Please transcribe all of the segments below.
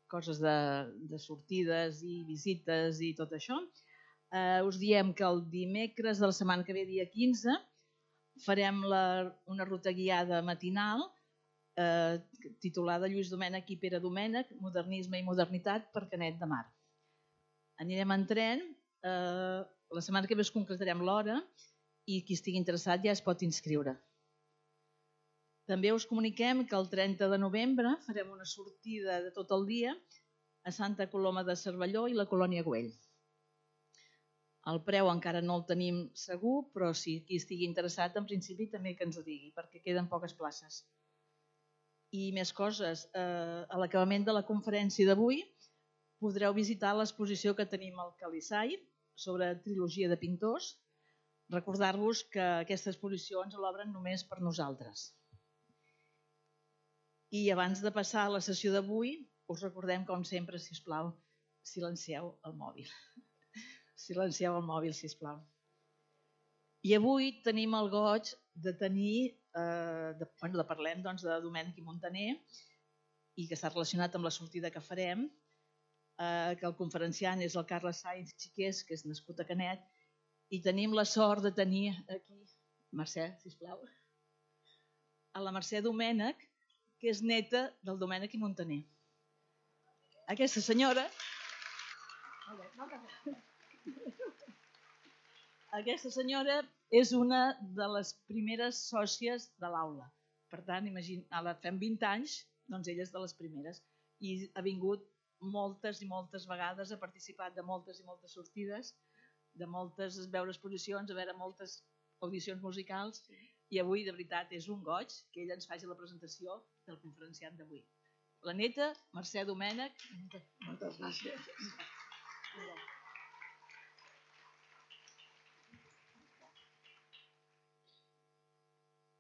coses de sortides i visites i tot això. Us diem que el dimecres de la setmana que ve, dia 15, farem una ruta guiada matinal titulada Lluís Domènech i Pere Domènech, modernisme i modernitat per Canet de Mar. Anirem en tren, la setmana que ve us concretarem l'hora i qui estigui interessat ja es pot inscriure. També us comuniquem que el 30 de novembre farem una sortida de tot el dia a Santa Coloma de Cervelló i la Colònia Güell. El preu encara no el tenim segur, però si qui estigui interessat, en principi també que ens ho digui, perquè queden poques places. I més coses, a l'acabament de la conferència d'avui podreu visitar l'exposició que tenim al Calissai sobre trilogia de pintors. Recordar-vos que aquesta exposició ens l'obren només per nosaltres. I abans de passar a la sessió d'avui, us recordem, com sempre, sisplau, silencieu el mòbil. Silencieu el mòbil, sisplau. I avui tenim el goig de tenir, parlem de Domènech i Montaner, i que està relacionat amb la sortida que farem, que el conferenciant és el Carles Sainz Xiqués, que és nascut a Canet, i tenim la sort de tenir aquí, Mercè, sisplau, a la Mercè Domènech, que és neta del Domènech i Montaner. Aquesta senyora... Aquesta senyora és una de les primeres sòcies de l'aula. Per tant, ara fem 20 anys, doncs ella és de les primeres. I ha vingut moltes i moltes vegades, ha participat de moltes i moltes sortides, de moltes veure exposicions, a veure moltes audicions musicals, i avui, de veritat, és un goig que ella ens faci la presentació del conferenciant d'avui. La neta, Mercè Domènech. Moltes gràcies.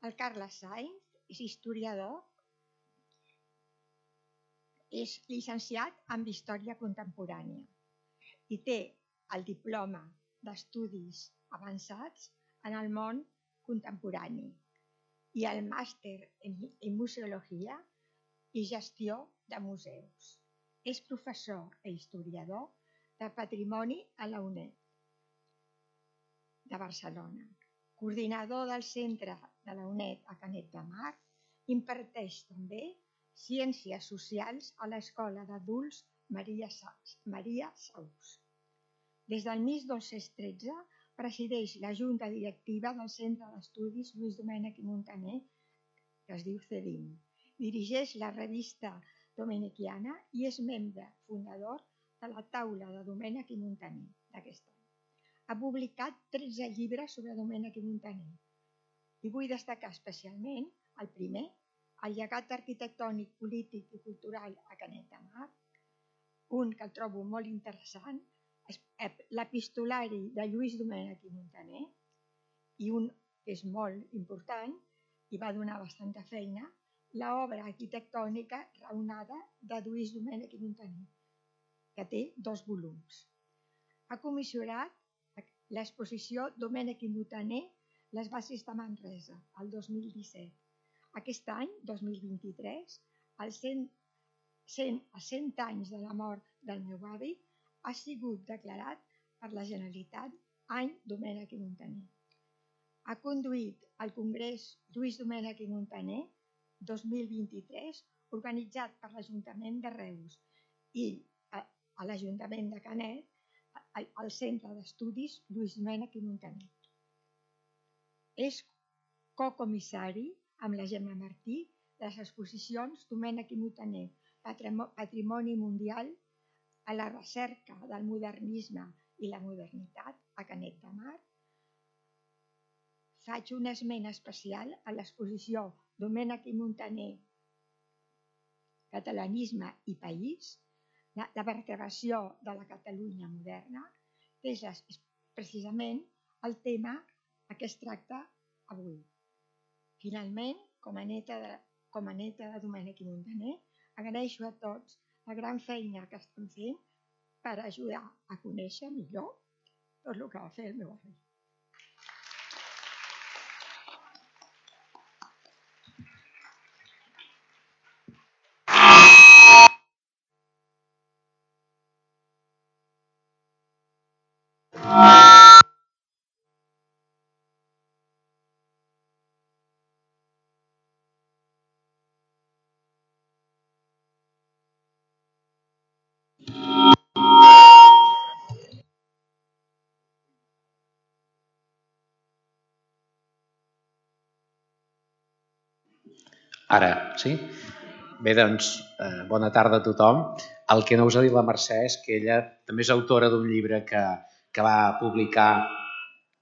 El Carles Sainz és historiador, és llicenciat en Història Contemporània i té el diploma d'Estudis Avançats en el món contemporani i el màster en Museologia i Gestió de Museus. És professor i historiador de Patrimoni a la UNED de Barcelona. Coordinador del Centre de la UNED a Canet de Mar, imparteix també Ciències Socials a l'Escola d'Adults Maria Saus. Des del 1913 presideix la Junta Directiva del Centre d'Estudis Lluís Domènech i Montaner, que es diu CEDIM. Dirigeix la revista Domenechiana i és membre fundador de la taula de Domènech i Montaner d'aquest any. Ha publicat 13 llibres sobre Domènech i Montaner. I vull destacar especialment el primer, el llegat arquitectònic, polític i cultural a Canet de Mar, un que el trobo molt interessant, l'epistolari de Lluís Domènech i Montaner, i un que és molt important i va donar bastanta feina, l'obra arquitectònica raonada de Lluís Domènech i Montaner, que té 2 volums. Ha comissionat l'exposició Domènech i Montaner, les bases de Manresa, el 2017. Aquest any, 2023, als 100 anys de la mort del meu avi, ha sigut declarat per la Generalitat any Domènech i Montaner. Ha conduït el Congrés Lluís Domènech i Montaner 2023, organitzat per l'Ajuntament de Reus i a l'Ajuntament de Canet, al Centre d'Estudis Lluís Domènech i Montaner. És cocomissari amb la Gemma Martí de les exposicions Domènech i Montaner, Patrimoni Mundial a la recerca del modernisme i la modernitat a Canet de Mar. Faig un esment especial a l'exposició Domènech i Montaner, Catalanisme i País, la vertebració de la Catalunya moderna, que és precisament el tema que es tracta avui. Finalment, com a neta de Domènech i Montaner, agraeixo a tots la gran feina que estan fent per ajudar a conèixer millor tot el que va fer el meu avi. Ara, sí? Bé, doncs, bona tarda a tothom. El que no us ha dit la Mercè és que ella també és autora d'un llibre que va publicar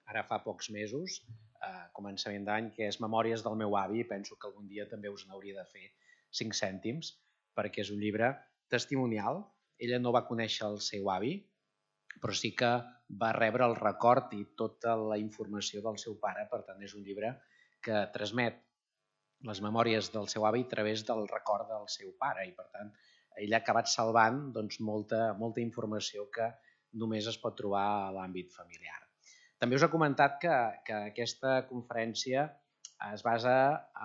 ara fa pocs mesos, a començament d'any, que és Memòries del meu avi, i penso que algun dia també us n'hauria de fer 5 cèntims, perquè és un llibre testimonial. Ella no va conèixer el seu avi, però sí que va rebre el record i tota la informació del seu pare. Per tant, és un llibre que transmet les memòries del seu avi a través del record del seu pare, i per tant ell ha acabat salvant doncs, molta informació que només es pot trobar a l'àmbit familiar. També us he comentat que aquesta conferència es basa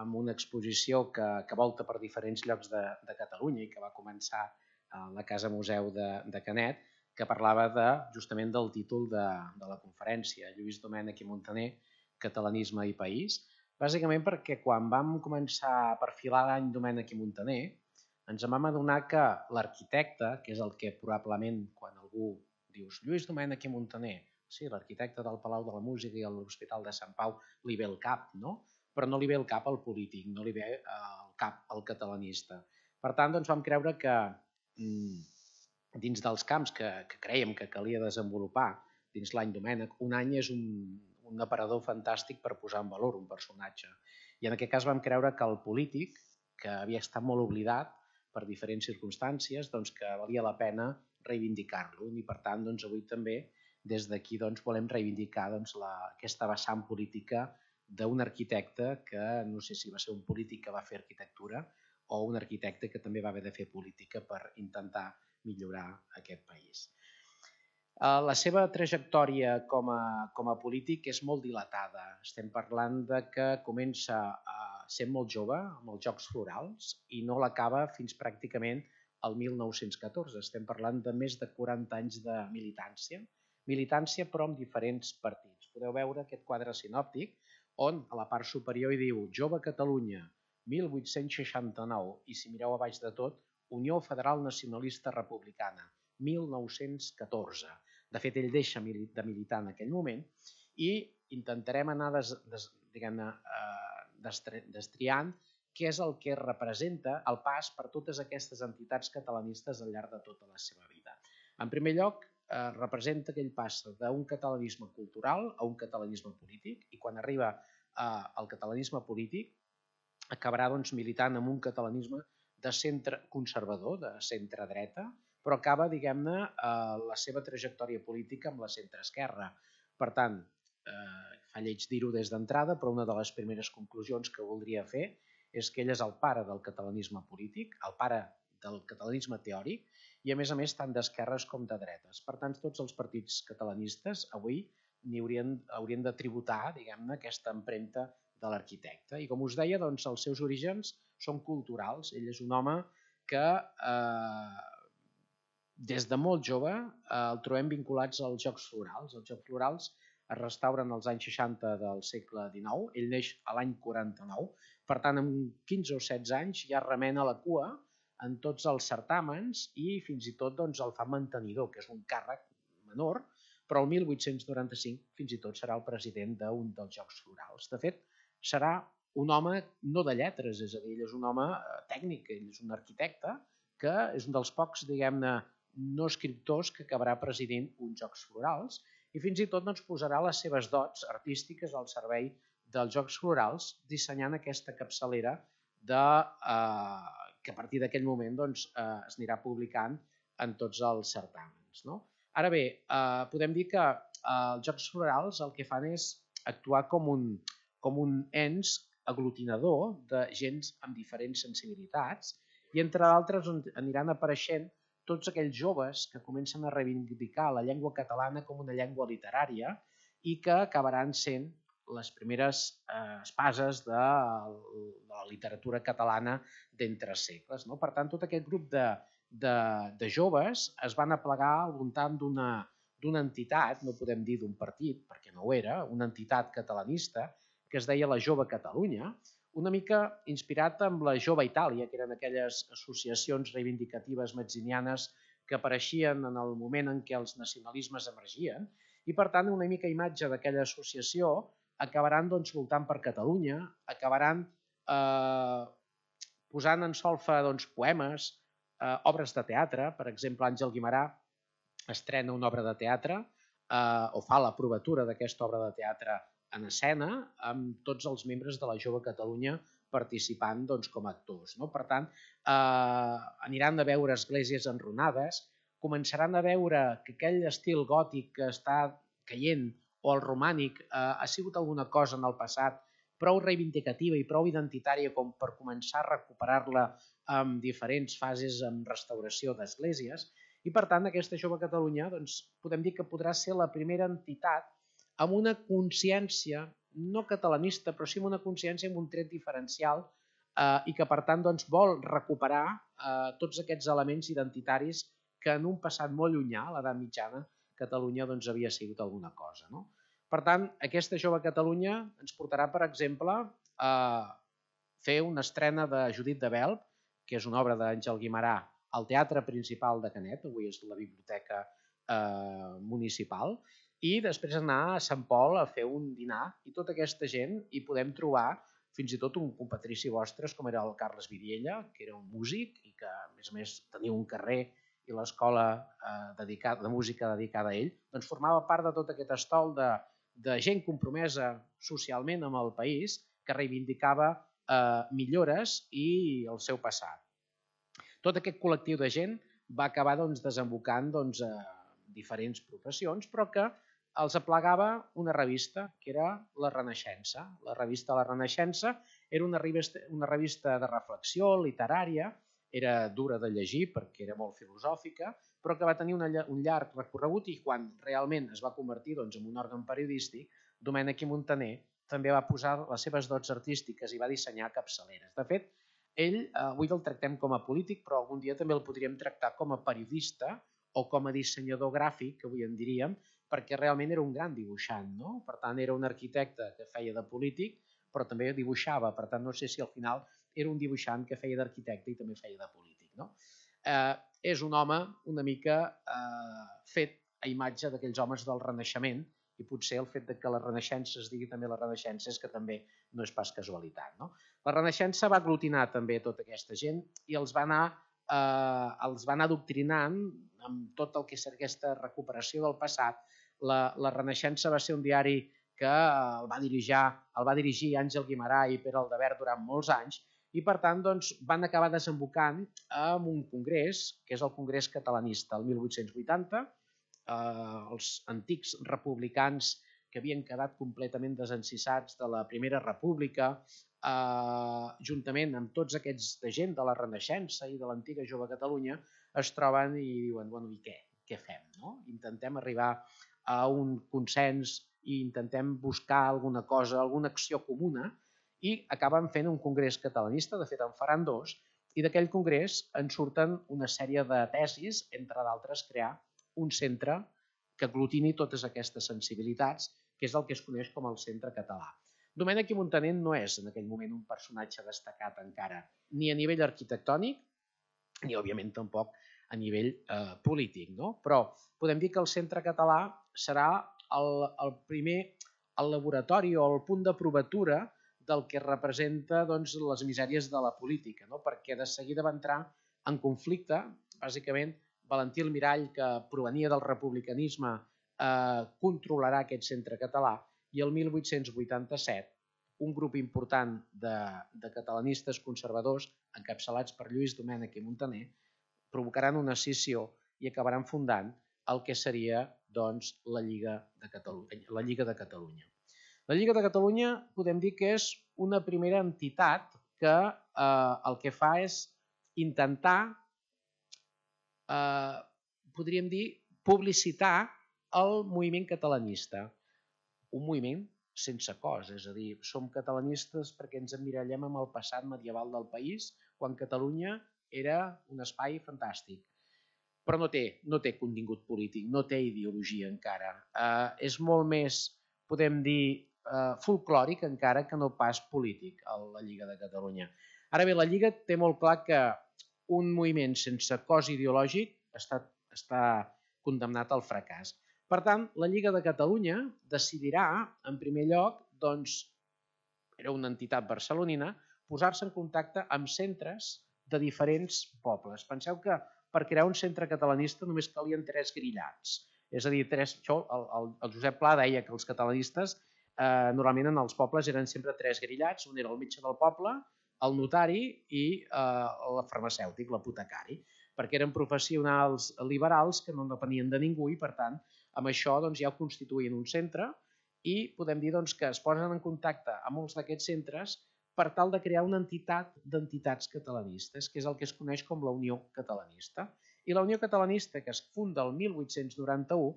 en una exposició que volta per diferents llocs de Catalunya i que va començar a la Casa Museu de Canet, que parlava justament del títol de la conferència, Lluís Domènech i Muntaner, Catalanisme i País, bàsicament perquè quan vam començar a perfilar l'any Domènech i Muntaner, ens vam adonar que l'arquitecte, que és el que probablement quan algú dius Lluís Domènech i Muntaner, sí, l'arquitecte del Palau de la Música i l'Hospital de Sant Pau, li ve el cap, no? Però no li ve el cap al polític, no li ve el cap al catalanista. Per tant, doncs vam creure que dins dels camps que crèiem que calia desenvolupar dins l'any Domènech, un any és un aparador fantàstic per posar en valor un personatge. I en aquest cas vam creure que el polític, que havia estat molt oblidat per diferents circumstàncies, doncs que valia la pena reivindicar-lo. I per tant, doncs, avui també des d'aquí doncs, volem reivindicar doncs, aquesta vessant política d'un arquitecte que no sé si va ser un polític que va fer arquitectura o un arquitecte que també va haver de fer política per intentar millorar aquest país. La seva trajectòria com a polític és molt dilatada. Estem parlant de que comença sent molt jove amb els Jocs Florals i no l'acaba fins pràcticament el 1914. Estem parlant de més de 40 anys de militància però amb diferents partits. Podeu veure aquest quadre sinòptic on a la part superior hi diu Jove Catalunya, 1869, i si mireu a baix de tot, Unió Federal Nacionalista Republicana, 1914. De fet, ell deixa de militar en aquell moment i intentarem anar destriant què és el que representa el pas per totes aquestes entitats catalanistes al llarg de tota la seva vida. En primer lloc, representa aquell pas d'un catalanisme cultural a un catalanisme polític, i quan arriba al catalanisme polític acabarà doncs, militant en un catalanisme de centre conservador, de centre dreta, però acaba, diguem-ne, la seva trajectòria política amb la centreesquerra. Per tant, fa lleig dir-ho des d'entrada, però una de les primeres conclusions que voldria fer és que ell és el pare del catalanisme polític, el pare del catalanisme teòric, i a més tant d'esquerres com de dretes. Per tant, tots els partits catalanistes avui haurien de tributar, diguem-ne, aquesta empremta de l'arquitecte. I com us deia, doncs, els seus orígens són culturals. Ell és un home que des de molt jove el trobem vinculats als Jocs Florals. Els Jocs Florals es restauren als anys 60 del segle XIX, ell neix a l'any 49, per tant, amb 15 o 16 anys ja remena la cua en tots els certàmens i fins i tot doncs, el fa mantenidor, que és un càrrec menor, però el 1895 fins i tot serà el president d'un dels Jocs Florals. De fet, serà un home no de lletres, és a dir, ell és un home tècnic, ell és un arquitecte, que és un dels pocs, diguem-ne, no escriptors que acabarà presidint uns Jocs Florals i fins i tot doncs, posarà les seves dots artístiques al servei dels Jocs Florals dissenyant aquesta capçalera que a partir d'aquell moment doncs, es anirà publicant en tots els certàmens. No? Ara bé, podem dir que els Jocs Florals el que fan és actuar com un ens aglutinador de gent amb diferents sensibilitats i entre d'altres aniran apareixent tots aquells joves que comencen a reivindicar la llengua catalana com una llengua literària i que acabaran sent les primeres espases de la literatura catalana d'entre segles. No? Per tant, tot aquest grup de joves es van aplegar al voltant d'una entitat, no podem dir d'un partit, perquè no ho era, una entitat catalanista que es deia la Jove Catalunya, una mica inspirat amb la Jove Itàlia, que eren aquelles associacions reivindicatives mazzinianes que apareixien en el moment en què els nacionalismes emergien, i per tant una mica imatge d'aquella associació acabaran doncs, voltant per Catalunya, acabaran posant en solfa poemes, obres de teatre. Per exemple, Àngel Guimerà estrena una obra de teatre o fa la provatura d'aquesta obra de teatre en escena amb tots els membres de la Jove Catalunya participant com a actors. Per tant, aniran a veure esglésies enrunades, començaran a veure que aquell estil gòtic que està caient o el romànic ha sigut alguna cosa en el passat prou reivindicativa i prou identitària com per començar a recuperar-la amb diferents fases en restauració d'esglésies. I, per tant, aquesta Jove Catalunya podem dir que podrà ser la primera entitat amb una consciència, no catalanista, però sí amb una consciència amb un tret diferencial i que, per tant, vol recuperar tots aquests elements identitaris que en un passat molt llunyà, a l'edat mitjana, Catalunya havia sigut alguna cosa. Per tant, aquesta Jove Catalunya ens portarà, per exemple, a fer una estrena de Judit de Belp, que és una obra d'Àngel Guimerà, al Teatre Principal de Canet, avui és la Biblioteca Municipal, i després anar a Sant Pol a fer un dinar, i tota aquesta gent hi podem trobar fins i tot un compatrici vostre, com era el Carles Vidiella, que era un músic i que, a més, tenia un carrer i l'escola de música dedicada a ell, formava part de tot aquest estol de gent compromesa socialment amb el país que reivindicava millores i el seu passat. Tot aquest col·lectiu de gent va acabar desembocant a diferents professions, però que els aplegava una revista, que era La Renaixença. La revista La Renaixença era una revista de reflexió literària, era dura de llegir perquè era molt filosòfica, però que va tenir un llarg recorregut i quan realment es va convertir en un òrgan periodístic, Domènec i Montaner també va posar les seves dots artístiques i va dissenyar capçaleres. De fet, ell avui el tractem com a polític, però algun dia també el podríem tractar com a periodista o com a dissenyador gràfic, que avui en diríem, perquè realment era un gran dibuixant. Per tant, era un arquitecte que feia de polític, però també dibuixava. Per tant, no sé si al final era un dibuixant que feia d'arquitecte i també feia de polític. És un home una mica fet a imatge d'aquells homes del Renaixement, i potser el fet que la Renaixença es digui també la Renaixença és que també no és pas casualitat. La Renaixença va aglutinar també tota aquesta gent i els va anar adoctrinant amb tot el que és aquesta recuperació del passat. La Renaixença va ser un diari que el va dirigir Àngel Guimerà i Pere Aldebert durant molts anys i, per tant, van acabar desembocant en un congrés, que és el Congrés Catalanista, el 1880, els antics republicans que havien quedat completament desencissats de la Primera República, juntament amb tots aquests de gent de la Renaixença i de l'antiga Jove Catalunya, es troben i diuen, bueno, i què? Què fem? Intentem arribar a un consens i intentem buscar alguna cosa, alguna acció comuna, i acaben fent un congrés catalanista, de fet en faran dos, i d'aquell congrés en surten una sèrie de tesis, entre d'altres crear un centre que aglutini totes aquestes sensibilitats, que és el que es coneix com el Centre Català. Domènec i Montaner no és en aquell moment un personatge destacat encara, ni a nivell arquitectònic, ni òbviament tampoc a nivell polític. Però podem dir que el Centre Català serà el primer laboratori o el punt de provatura del que representa les misèries de la política, perquè de seguida va entrar en conflicte, bàsicament, Valentí Almirall, que provenia del republicanisme, controlarà aquest centre català i el 1887 un grup important de catalanistes conservadors, encapçalats per Lluís Domènec i Montaner, provocaran una escissió i acabaran fundant el que seria la Lliga de Catalunya. La Lliga de Catalunya podem dir que és una primera entitat que el que fa és intentar podríem dir, publicitar el moviment catalanista. Un moviment sense cos, és a dir, som catalanistes perquè ens emmirallem amb el passat medieval del país, quan Catalunya era un espai fantàstic. Però no té contingut polític, no té ideologia encara. És molt més, podem dir, folclòric encara que no pas polític, la Lliga de Catalunya. Ara bé, la Lliga té molt clar que un moviment sense cos ideològic està condemnat al fracàs. Per tant, la Lliga de Catalunya decidirà, en primer lloc, era una entitat barcelonina, posar-se en contacte amb centres de diferents pobles. Penseu que per crear un centre catalanista només calien 3 grillats. És a dir, el Josep Pla deia que els catalanistes normalment en els pobles eren sempre 3 grillats, un era el metge del poble, el notari i el farmacèutic, l'apotecari, perquè eren professionals liberals que no depenien de ningú i, per tant, amb això ja ho constituïen un centre i podem dir que es posen en contacte amb molts d'aquests centres per tal de crear una entitat d'entitats catalanistes, que és el que es coneix com la Unió Catalanista. I la Unió Catalanista, que es funda el 1891,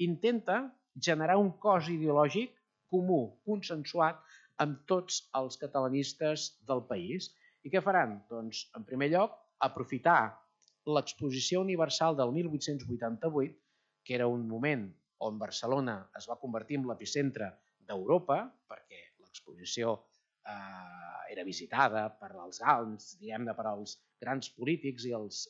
intenta generar un cos ideològic comú, consensuat amb tots els catalanistes del país. I què faran? Doncs, en primer lloc, aprofitar l'Exposició Universal del 1888, que era un moment on Barcelona es va convertir en l'epicentre d'Europa, perquè l'exposició era visitada per als per als grans polítics i els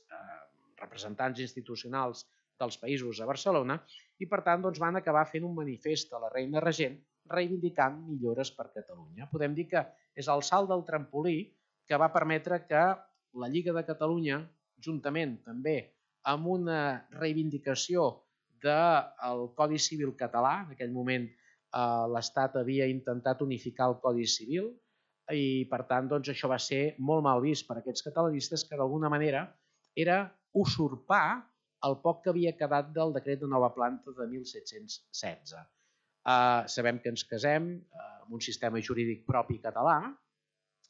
representants institucionals dels països a Barcelona, i per tant van acabar fent un manifest a la reina regent reivindicant millores per Catalunya. Podem dir que és el salt del trampolí que va permetre que la Lliga de Catalunya, juntament també amb una reivindicació del Codi Civil català, en aquell moment l'Estat havia intentat unificar el Codi Civil i per tant això va ser molt mal vist per aquests catalanistes, que d'alguna manera era usurpar el poc que havia quedat del decret de nova planta de 1716. Sabem que ens casem amb un sistema jurídic propi català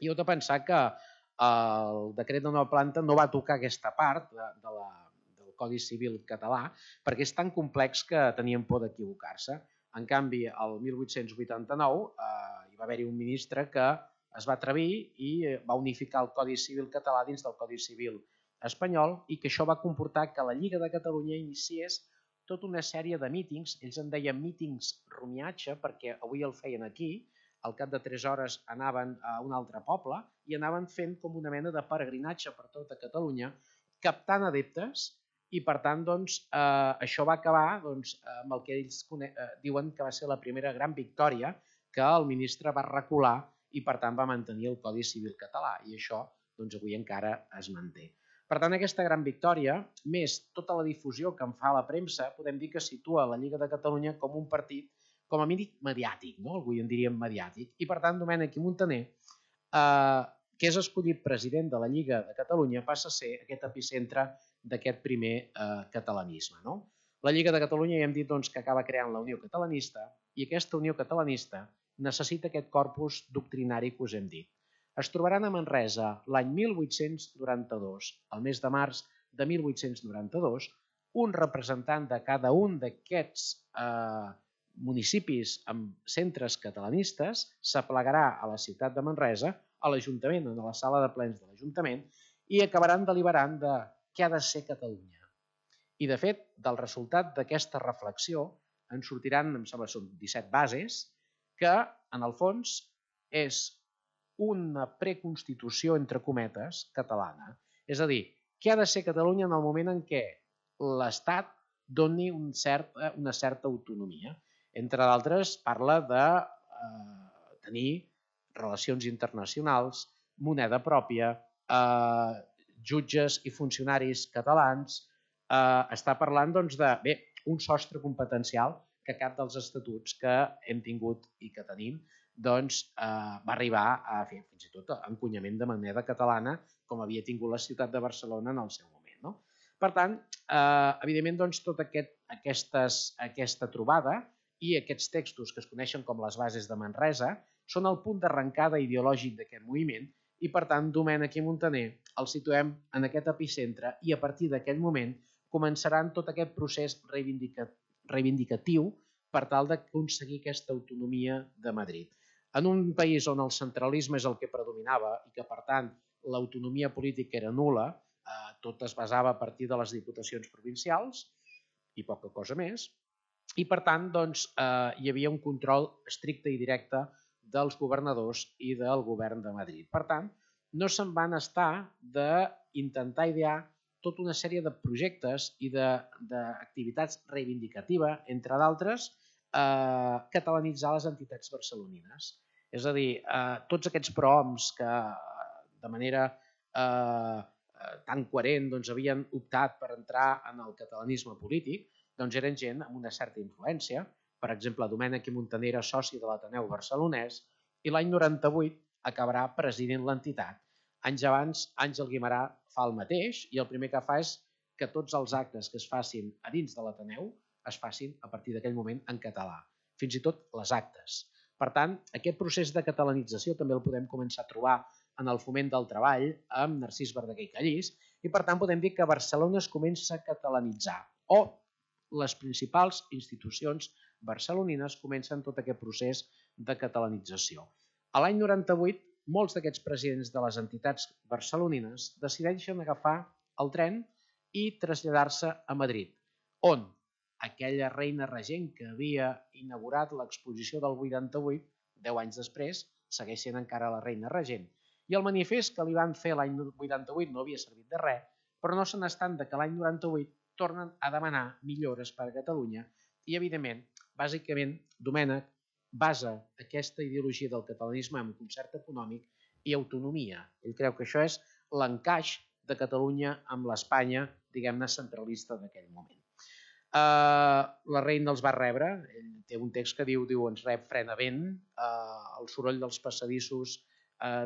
i heu de pensar que el decret de nova planta no va tocar aquesta part del Codi Civil català perquè és tan complex que tenien por d'equivocar-se. En canvi, el 1889 hi va haver-hi un ministre que es va atrevir i va unificar el Codi Civil català dins del Codi Civil espanyol i que això va comportar que la Lliga de Catalunya iniciés tota una sèrie de mítings, ells en deien mítings rumiatge perquè avui el feien aquí, al cap de 3 hores anaven a un altre poble i anaven fent com una mena de peregrinatge per tota Catalunya, captant adeptes i per tant això va acabar amb el que ells diuen que va ser la primera gran victòria que el ministre va recular i per tant va mantenir el Codi Civil català i això avui encara es manté. Per tant, aquesta gran victòria, més tota la difusió que en fa la premsa, podem dir que situa la Lliga de Catalunya com un partit, com a mínim mediàtic, avui en diríem mediàtic, i per tant Domènec i Muntaner, que és escollit president de la Lliga de Catalunya, passa a ser aquest epicentre d'aquest primer catalanisme. La Lliga de Catalunya ja hem dit que acaba creant la Unió Catalanista i aquesta Unió Catalanista necessita aquest corpus doctrinari que us hem dit. Es trobaran a Manresa l'any 1892, al mes de març de 1892, un representant de cada un d'aquests municipis amb centres catalanistes s'aplegarà a la ciutat de Manresa, a l'Ajuntament, a la sala de plens de l'Ajuntament, i acabaran deliberant de què ha de ser Catalunya. I, de fet, del resultat d'aquesta reflexió en sortiran, em sembla, són 17 bases, que, en el fons, és una preconstitució, entre cometes, catalana. És a dir, què ha de ser Catalunya en el moment en què l'Estat doni una certa autonomia. Entre d'altres, parla de tenir relacions internacionals, moneda pròpia, jutges i funcionaris catalans, està parlant d'un sostre competencial que cap dels estatuts que hem tingut i que tenim va arribar a fer fins i tot encunyament de moneda catalana com havia tingut la ciutat de Barcelona en el seu moment. Per tant, evidentment, tota aquesta trobada i aquests textos que es coneixen com les bases de Manresa són el punt d'arrencada ideològic d'aquest moviment i, per tant, Domènec i Muntaner el situem en aquest epicentre i a partir d'aquell moment començaran tot aquest procés reivindicatiu per tal d'aconseguir aquesta autonomia de Madrid. En un país on el centralisme és el que predominava i que, per tant, l'autonomia política era nul·la, tot es basava a partir de les diputacions provincials i poca cosa més, i, per tant, hi havia un control estricte i directe dels governadors i del govern de Madrid. Per tant, no se'n van estar d'intentar idear tota una sèrie de projectes i d'activitats reivindicatives, entre d'altres, catalanitzar les entitats barcelonines. És a dir, tots aquests prohoms que de manera tan coherent havien optat per entrar en el catalanisme polític, doncs eren gent amb una certa influència. Per exemple, Domènec i Montaner era soci de l'Ateneu Barcelonès i l'any 98 acabarà presidint l'entitat. Anys abans, Àngel Guimerà fa el mateix i el primer que fa és que tots els actes que es facin a dins de l'Ateneu es facin a partir d'aquell moment en català, fins i tot les actes. Per tant, aquest procés de catalanització també el podem començar a trobar en el Foment del Treball amb Narcís Verdaguer i Callís i per tant podem dir que Barcelona es comença a catalanitzar o les principals institucions barcelonines comencen tot aquest procés de catalanització. A l'any 98, molts d'aquests presidents de les entitats barcelonines decideixen agafar el tren i traslladar-se a Madrid, on aquella reina regent que havia inaugurat l'exposició del 88, 10 anys després, segueix sent encara la reina regent. I el manifest que li van fer l'any 88 no havia servit de res, però no se n'estan que l'any 98 tornen a demanar millores per a Catalunya i, evidentment, bàsicament, Domènec basa aquesta ideologia del catalanisme en concert econòmic i autonomia. Ell creu que això és l'encaix de Catalunya amb l'Espanya, diguem-ne, centralista d'aquell moment. La reina els va rebre, ell té un text que diu ens rep frenament, el soroll dels passadissos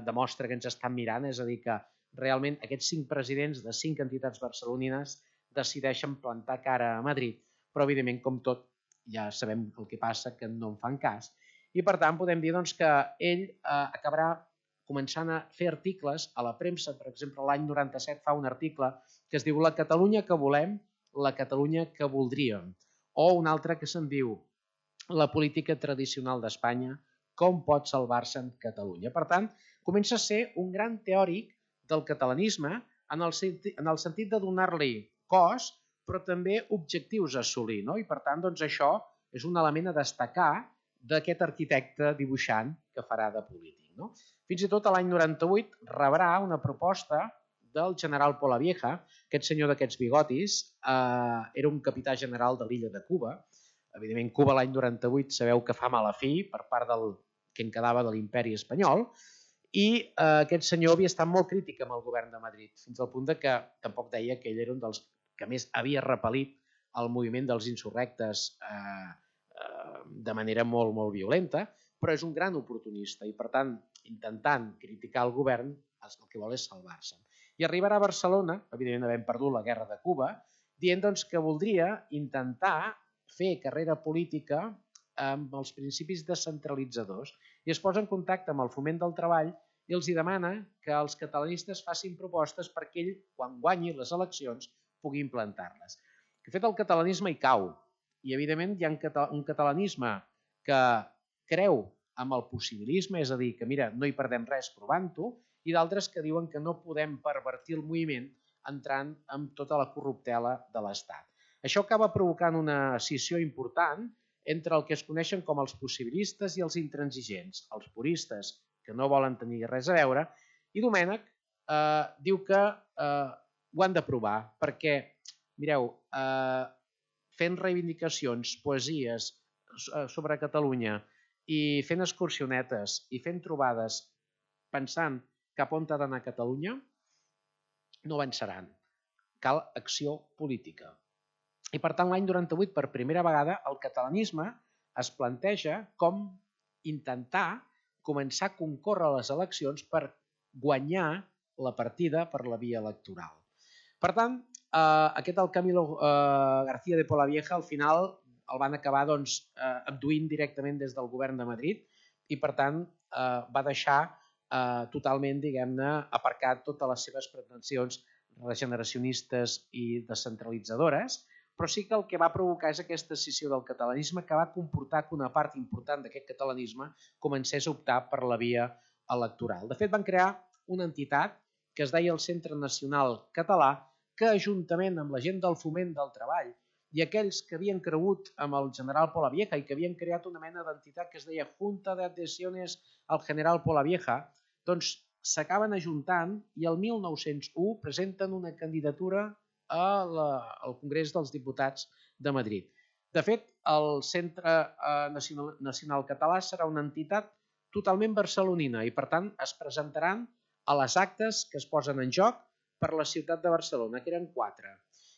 demostra que ens estan mirant, és a dir, que realment aquests 5 presidents de 5 entitats barcelonines decideixen plantar cara a Madrid, però evidentment, com tot, ja sabem el que passa, que no en fan cas, i per tant podem dir que ell acabarà començant a fer articles a la premsa. Per exemple, l'any 97 fa un article que es diu La Catalunya que volem, la Catalunya que voldríem, o un altre que se'n diu La política tradicional d'Espanya, com pot salvar-se en Catalunya. Per tant, comença a ser un gran teòric del catalanisme en el sentit de donar-li cos, però també objectius a assolir. I per tant, això és un element a destacar d'aquest arquitecte dibuixant que farà de polític. Fins i tot l'any 98 rebrà una proposta del general Polavieja, aquest senyor d'aquests bigotis, era un capità general de l'illa de Cuba. Evidentment, Cuba l'any 98 sabeu que fa mala fi per part del que en quedava de l'imperi espanyol i aquest senyor havia estat molt crític amb el govern de Madrid, fins al punt que tampoc deia que ell era un dels que més havia repel·lit el moviment dels insurrectes de manera molt, molt violenta, però és un gran oportunista i, per tant, intentant criticar el govern, el que vol és salvar-se. I arribarà a Barcelona, evidentment havent perdut la guerra de Cuba, dient que voldria intentar fer carrera política amb els principis descentralitzadors i es posa en contacte amb el Foment del Treball i els demana que els catalanistes facin propostes perquè ell, quan guanyi les eleccions, pugui implantar-les. De fet, el catalanisme hi cau i, evidentment, hi ha un catalanisme que creu en el possibilisme, és a dir, que mira, no hi perdem res provant-ho, i d'altres que diuen que no podem pervertir el moviment entrant amb tota la corruptela de l'Estat. Això acaba provocant una escissió important entre el que es coneixen com els possibilistes i els intransigents, els puristes, que no volen tenir res a veure, i Domènec diu que ho han de provar, perquè, mireu, fent reivindicacions, poesies sobre Catalunya i fent excursionetes i fent trobades pensant cap on ha d'anar Catalunya, no avançaran. Cal acció política. I per tant, l'any 98, per primera vegada, el catalanisme es planteja com intentar començar a concórrer a les eleccions per guanyar la partida per la via electoral. Per tant, aquest el Camilo García de Polavieja al final el van acabar abduint directament des del govern de Madrid i per tant va deixar totalment, diguem-ne, aparcat totes les seves pretensions regeneracionistes i descentralitzadores, però sí que el que va provocar és aquesta escissió del catalanisme que va comportar que una part important d'aquest catalanisme comencés a optar per la via electoral. De fet, van crear una entitat que es deia el Centre Nacional Català, que juntament amb la gent del Foment del Treball i aquells que havien cregut amb el general Polavieja i que havien creat una mena d'entitat que es deia Junta de Adhesiones al General Polavieja, doncs s'acaben ajuntant i el 1901 presenten una candidatura al Congrés dels Diputats de Madrid. De fet, el Centre Nacional Català serà una entitat totalment barcelonina i, per tant, es presentaran a les actes que es posen en joc per la ciutat de Barcelona, que eren 4.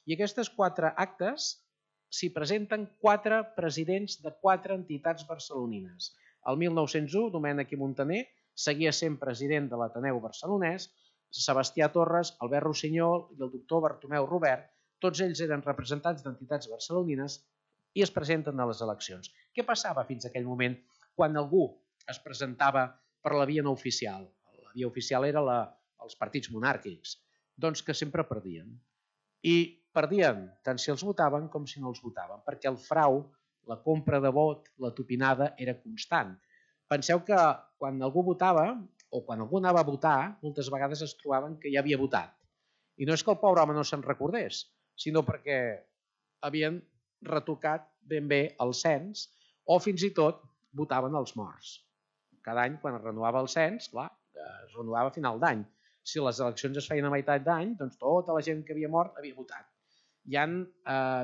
I aquestes 4 actes s'hi presenten 4 presidents de 4 entitats barcelonines. El 1901, Domènec i Montaner seguia sent president de l'Ateneu Barcelonès, Sebastià Torres, Albert Rossinyol i el doctor Bartomeu Robert, tots ells eren representants d'entitats barcelonines i es presenten a les eleccions. Què passava fins a aquell moment quan algú es presentava per la via no oficial? La via oficial era els partits monàrquics, doncs que sempre perdien. I perdien tant si els votaven com si no els votaven, perquè el frau, la compra de vot, la tupinada era constant. Penseu que quan algú votava o quan algú anava a votar, moltes vegades es trobaven que ja havia votat. I no és que el pobre home no se'n recordés, sinó perquè havien retocat ben bé el cens o fins i tot votaven els morts. Cada any, quan es renovava el cens, clar, es renovava a final d'any. Si les eleccions es feien a meitat d'any, doncs tota la gent que havia mort havia votat. Hi ha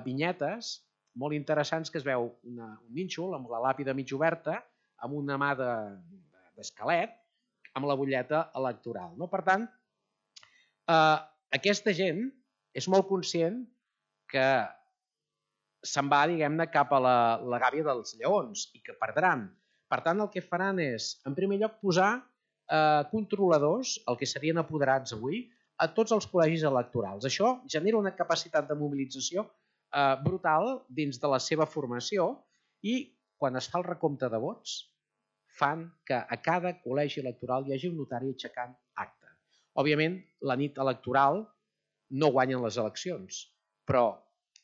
vinyetes molt interessants que es veu un nínxol amb la làpida mig oberta, amb una mà d'esquelet, amb la butlleta electoral. Per tant, aquesta gent és molt conscient que se'n va, diguem-ne, cap a la gàbia dels lleons i que perdran. Per tant, el que faran és, en primer lloc, posar controladors, el que serien apoderats avui, a tots els col·legis electorals. Això genera una capacitat de mobilització brutal dins de la seva formació i quan es fa el recompte de vots fan que a cada col·legi electoral hi hagi un notari aixecant acta. Òbviament, la nit electoral no guanyen les eleccions, però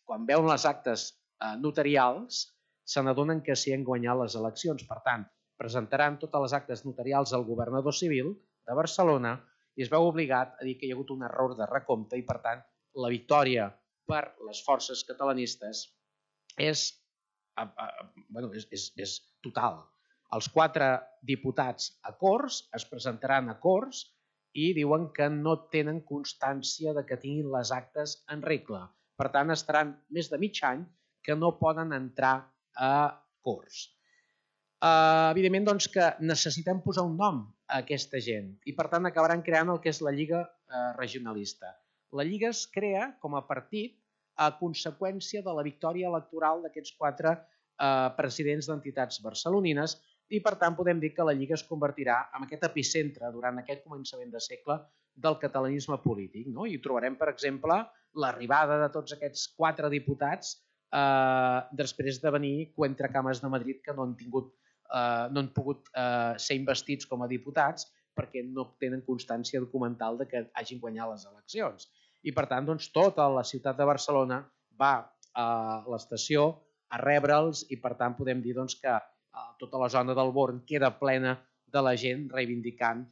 quan veuen les actes notarials se n'adonen que s'hi han guanyat les eleccions. Per tant, presentaran totes les actes notarials al governador civil de Barcelona i es veu obligat a dir que hi ha hagut un error de recompte i, per tant, la victòria per les forces catalanistes és total. Els 4 diputats a Corts es presentaran a Corts i diuen que no tenen constància de que tinguin les actes en regla. Per tant, estaran més de mig any que no poden entrar a Corts. Evidentment, doncs, que necessitem posar un nom a aquesta gent i, per tant, acabaran creant el que és la Lliga Regionalista. La Lliga es crea com a partit a conseqüència de la victòria electoral d'aquests 4 presidents d'entitats barcelonines i, per tant, podem dir que la Lliga es convertirà en aquest epicentre durant aquest començament de segle del catalanisme polític. I trobarem, per exemple, l'arribada de tots aquests 4 diputats després de venir Cuentracames de Madrid que no han pogut ser investits com a diputats perquè no tenen constància documental de que hagin guanyat les eleccions. I, per tant, tota la ciutat de Barcelona va a l'estació a rebre'ls i, per tant, podem dir que tota la zona del Born queda plena de la gent reivindicant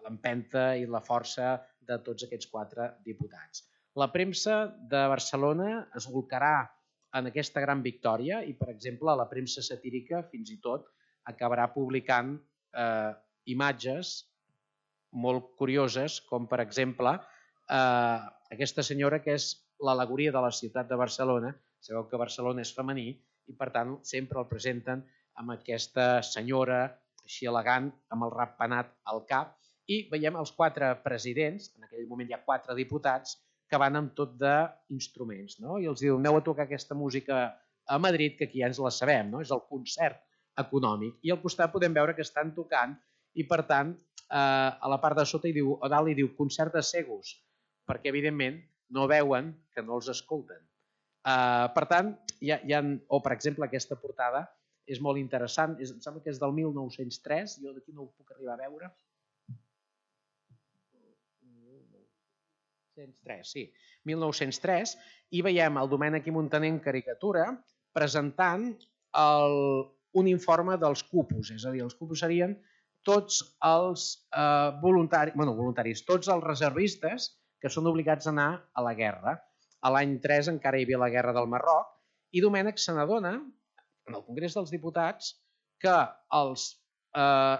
l'empenta i la força de tots aquests 4 diputats. La premsa de Barcelona es bolcarà en aquesta gran victòria i, per exemple, la premsa satírica fins i tot acabarà publicant imatges molt curioses, com per exemple aquesta senyora que és l'al·legoria de la ciutat de Barcelona. Sabeu que Barcelona és femení i, per tant, sempre el presenten amb aquesta senyora així elegant, amb el ratpenat al cap, i veiem els 4 presidents, en aquell moment hi ha 4 diputats, que van amb tot d'instruments, i els diu, aneu a tocar aquesta música a Madrid, que aquí ja ens la sabem, és el concert econòmic. I al costat podem veure que estan tocant i, per tant, a la part de sota a dalt hi diu concert de cegos, perquè, evidentment, no veuen que no els escolten. Per tant, o per exemple aquesta portada és molt interessant, em sembla que és del 1903, jo d'aquí no ho puc arribar a veure. 1903, i veiem el Domènec i Montaner en caricatura presentant un informe dels cupos, és a dir, els cupos serien tots els voluntaris, tots els reservistes que són obligats a anar a la guerra. A l'any 3 encara hi havia la guerra del Marroc i Domènec se n'adona, en el Congrés dels Diputats, que els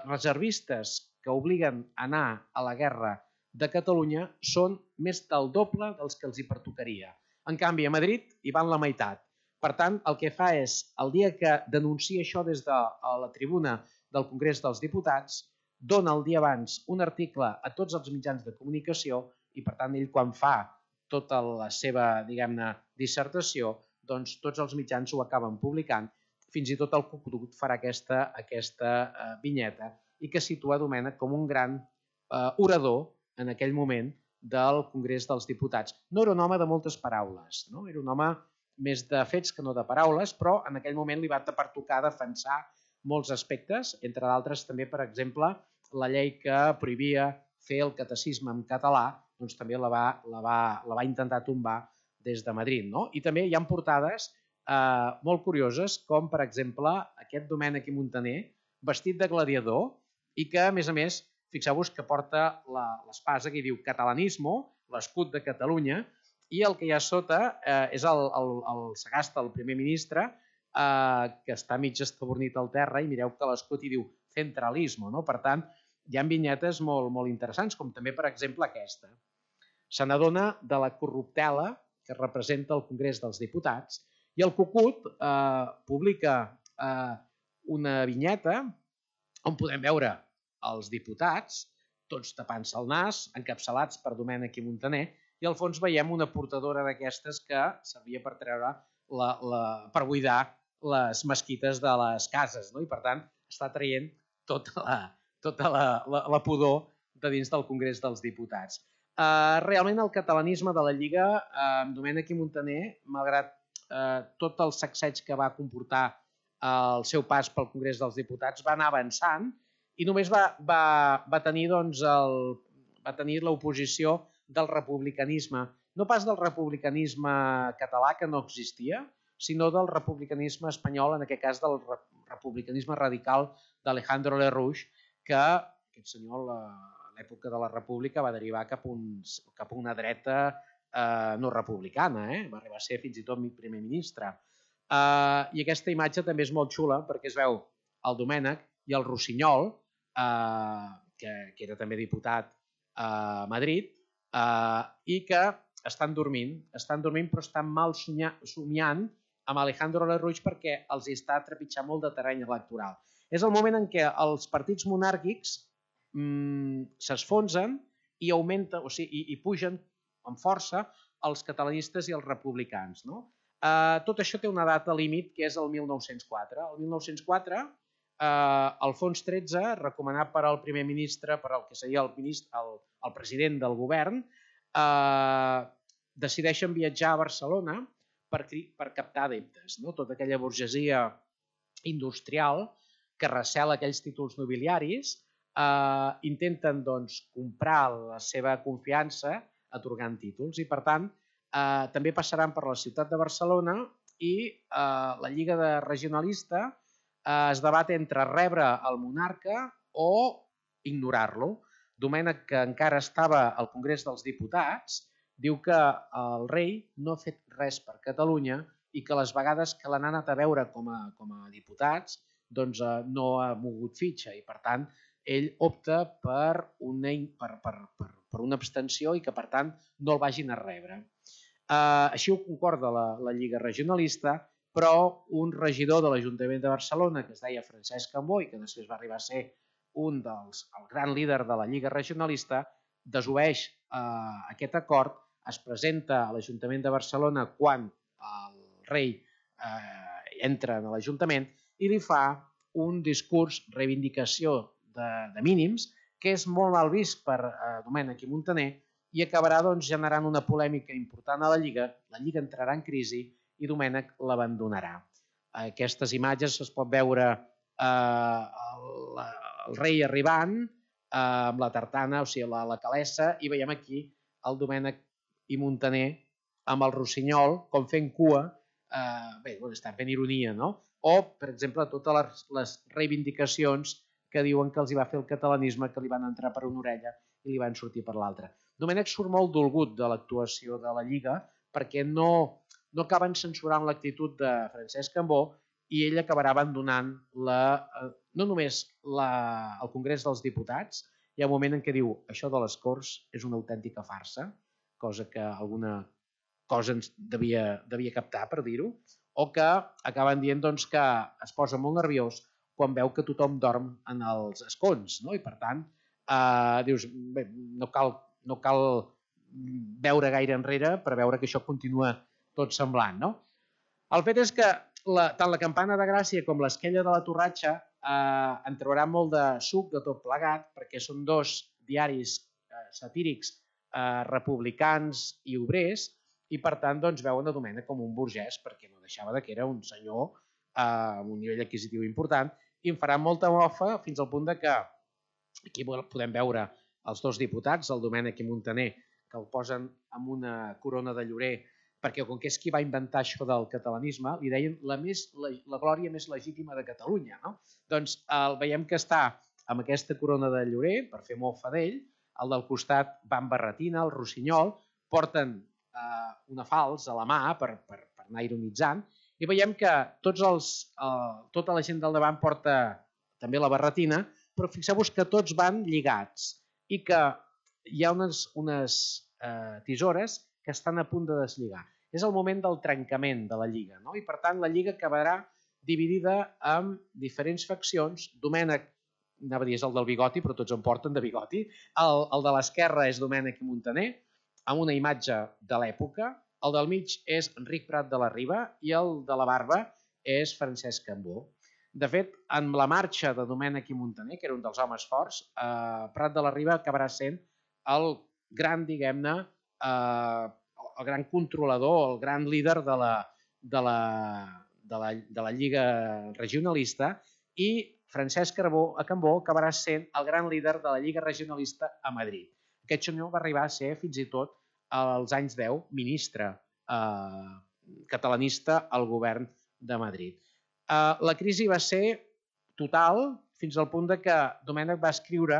reservistes que obliguen a anar a la guerra de Catalunya són més del doble dels que els hi pertocaria. En canvi, a Madrid hi van la meitat. Per tant, el que fa és, el dia que denuncia això des de la tribuna del Congrés dels Diputats, dona el dia abans un article a tots els mitjans de comunicació i, per tant, ell quan fa tota la seva, diguem-ne, dissertació, doncs tots els mitjans ho acaben publicant. Fins i tot el Cucut farà aquesta vinyeta i que situa Domènech com un gran orador en aquell moment del Congrés dels Diputats. No era un home de moltes paraules, no? Era un home més de fets que no de paraules, però en aquell moment li va pertocar defensar molts aspectes, entre d'altres també, per exemple, la llei que prohibia fer el catecisme en català, doncs també la va intentar tombar des de Madrid. No? I també hi ha portades molt curioses, com per exemple aquest Domènech i Muntaner, vestit de gladiador, i que, a més, fixeu-vos que porta l'espasa que diu catalanismo, l'escut de Catalunya, i el que hi ha sota és el Sagasta, el primer ministre, que està mig estabornit al terra, i mireu que l'escut hi diu centralismo. No? Per tant, hi ha vinyetes molt interessants, com també, per exemple, aquesta. Se n'adona de la corruptela que representa el Congrés dels Diputats, i el Cucut publica una vinyeta on podem veure els diputats, tots tapant-se el nas, encapçalats per Domènech i Muntaner, i al fons veiem una portadora d'aquestes que servia per treure per buidar les mesquites de les cases, no? I per tant està traient tota la pudor de dins del Congrés dels Diputats. Realment el catalanisme de la Lliga, amb Domènech i Muntaner, malgrat tot el sacseig que va comportar el seu pas pel Congrés dels Diputats, va anar avançant i només va tenir l'oposició del republicanisme, no pas del republicanisme català, que no existia, sinó del republicanisme espanyol, en aquest cas del republicanisme radical d'Alejandro Lerroux, que aquest senyor a l'època de la República va derivar cap a una dreta no republicana, va arribar a ser fins i tot primer ministre. I aquesta imatge també és molt xula perquè es veu el Domènech i el Rossinyol, que era també diputat a Madrid, i que estan dormint però estan mal somiant amb Alejandro Lerroux perquè els està trepitjant molt de terreny electoral. És el moment en què els partits monàrquics s'esfonsen i augmenten, o sigui, i pugen amb força els catalanistes i els republicans. Tot això té una data límit que és el 1904. El 1904, Alfons XIII, recomanat per al primer ministre, per al que seria el president del govern, decideixen viatjar a Barcelona per captar adeptes. Tota aquella burgesia industrial que recela aquells títols nobiliaris intenten comprar la seva confiança atorgant títols i, per tant, també passaran per la ciutat de Barcelona i la Lliga Regionalista es debat entre rebre el monarca o ignorar-lo. Domènech, que encara estava al Congrés dels Diputats, diu que el rei no ha fet res per Catalunya i que les vegades que l'han anat a veure com a diputats no ha mogut fitxa i, per tant, ell opta per una abstenció i que, per tant, no el vagin a rebre. Així ho concorda la Lliga Regionalista, però un regidor de l'Ajuntament de Barcelona, que es deia Francesc Cambó i que després va arribar a ser el gran líder de la Lliga Regionalista, desobeeix aquest acord, es presenta a l'Ajuntament de Barcelona quan el rei entra a l'Ajuntament i li fa un discurs reivindicació de mínims que és molt mal vist per Domènech i Muntaner i acabarà generant una polèmica important a la Lliga. La Lliga entrarà en crisi i Domènech l'abandonarà. Aquestes imatges es pot veure el rei arribant amb la tartana, o sigui, la calessa, i veiem aquí el Domènech i Muntaner amb el Rossinyol, com fent cua, estan fent ironia, no? O, per exemple, totes les reivindicacions que diuen que els hi va fer el catalanisme, que li van entrar per una orella i li van sortir per l'altra. Domènech surt molt dolgut de l'actuació de la Lliga perquè no acaben censurant l'actitud de Francesc Cambó i ell acabarà abandonant no només el Congrés dels Diputats. Hi ha un moment en què diu això de les Corts és una autèntica farsa, cosa que alguna cosa ens devia captar, per dir-ho, o que acaben dient que es posa molt nerviós quan veu que tothom dorm en els escons, no? I per tant, dius, bé, no cal veure gaire enrere per veure que això continua tot semblant, no? El fet és que tant la Campana de Gràcia com l'Esquella de la Torratxa en trobarà molt de suc de tot plegat, perquè són dos diaris satírics republicans i obrers, i per tant veuen a Domènec com un burgès, perquè no deixava que era un senyor amb un nivell adquisitiu important, i em farà molta mofa fins al punt que aquí podem veure els dos diputats, el Domènec i Muntaner, que el posen amb una corona de llorer, perquè com que és qui va inventar això del catalanisme, li deien la glòria més legítima de Catalunya. No? Doncs veiem que està amb aquesta corona de llorer, per fer mofa d'ell, el del costat va amb barretina, el rossinyol, porten una falç a la mà per anar ironitzant, i veiem que tota la gent del davant porta també la barretina, però fixeu-vos que tots van lligats i que hi ha unes tisores que estan a punt de deslligar. És el moment del trencament de la lliga, no? I per tant la lliga acabarà dividida en diferents faccions. Domènec, anava a dir és el del bigoti, però tots en porten de bigoti. El de l'esquerra és Domènec i Muntaner, amb una imatge de l'època. El del mig és Enric Prat de la Riba i el de la barba és Francesc Cambó. De fet, en la marxa de Domènec i Muntaner, que era un dels homes forts, Prat de la Riba acabarà sent el gran, diguem-ne, el gran controlador, el gran líder de la Lliga Regionalista, i Francesc Cambó acabarà sent el gran líder de la Lliga Regionalista a Madrid. Aquest senyor va arribar a ser, fins i tot, als anys 10, ministre catalanista al govern de Madrid. La crisi va ser total fins al punt que Domènec va escriure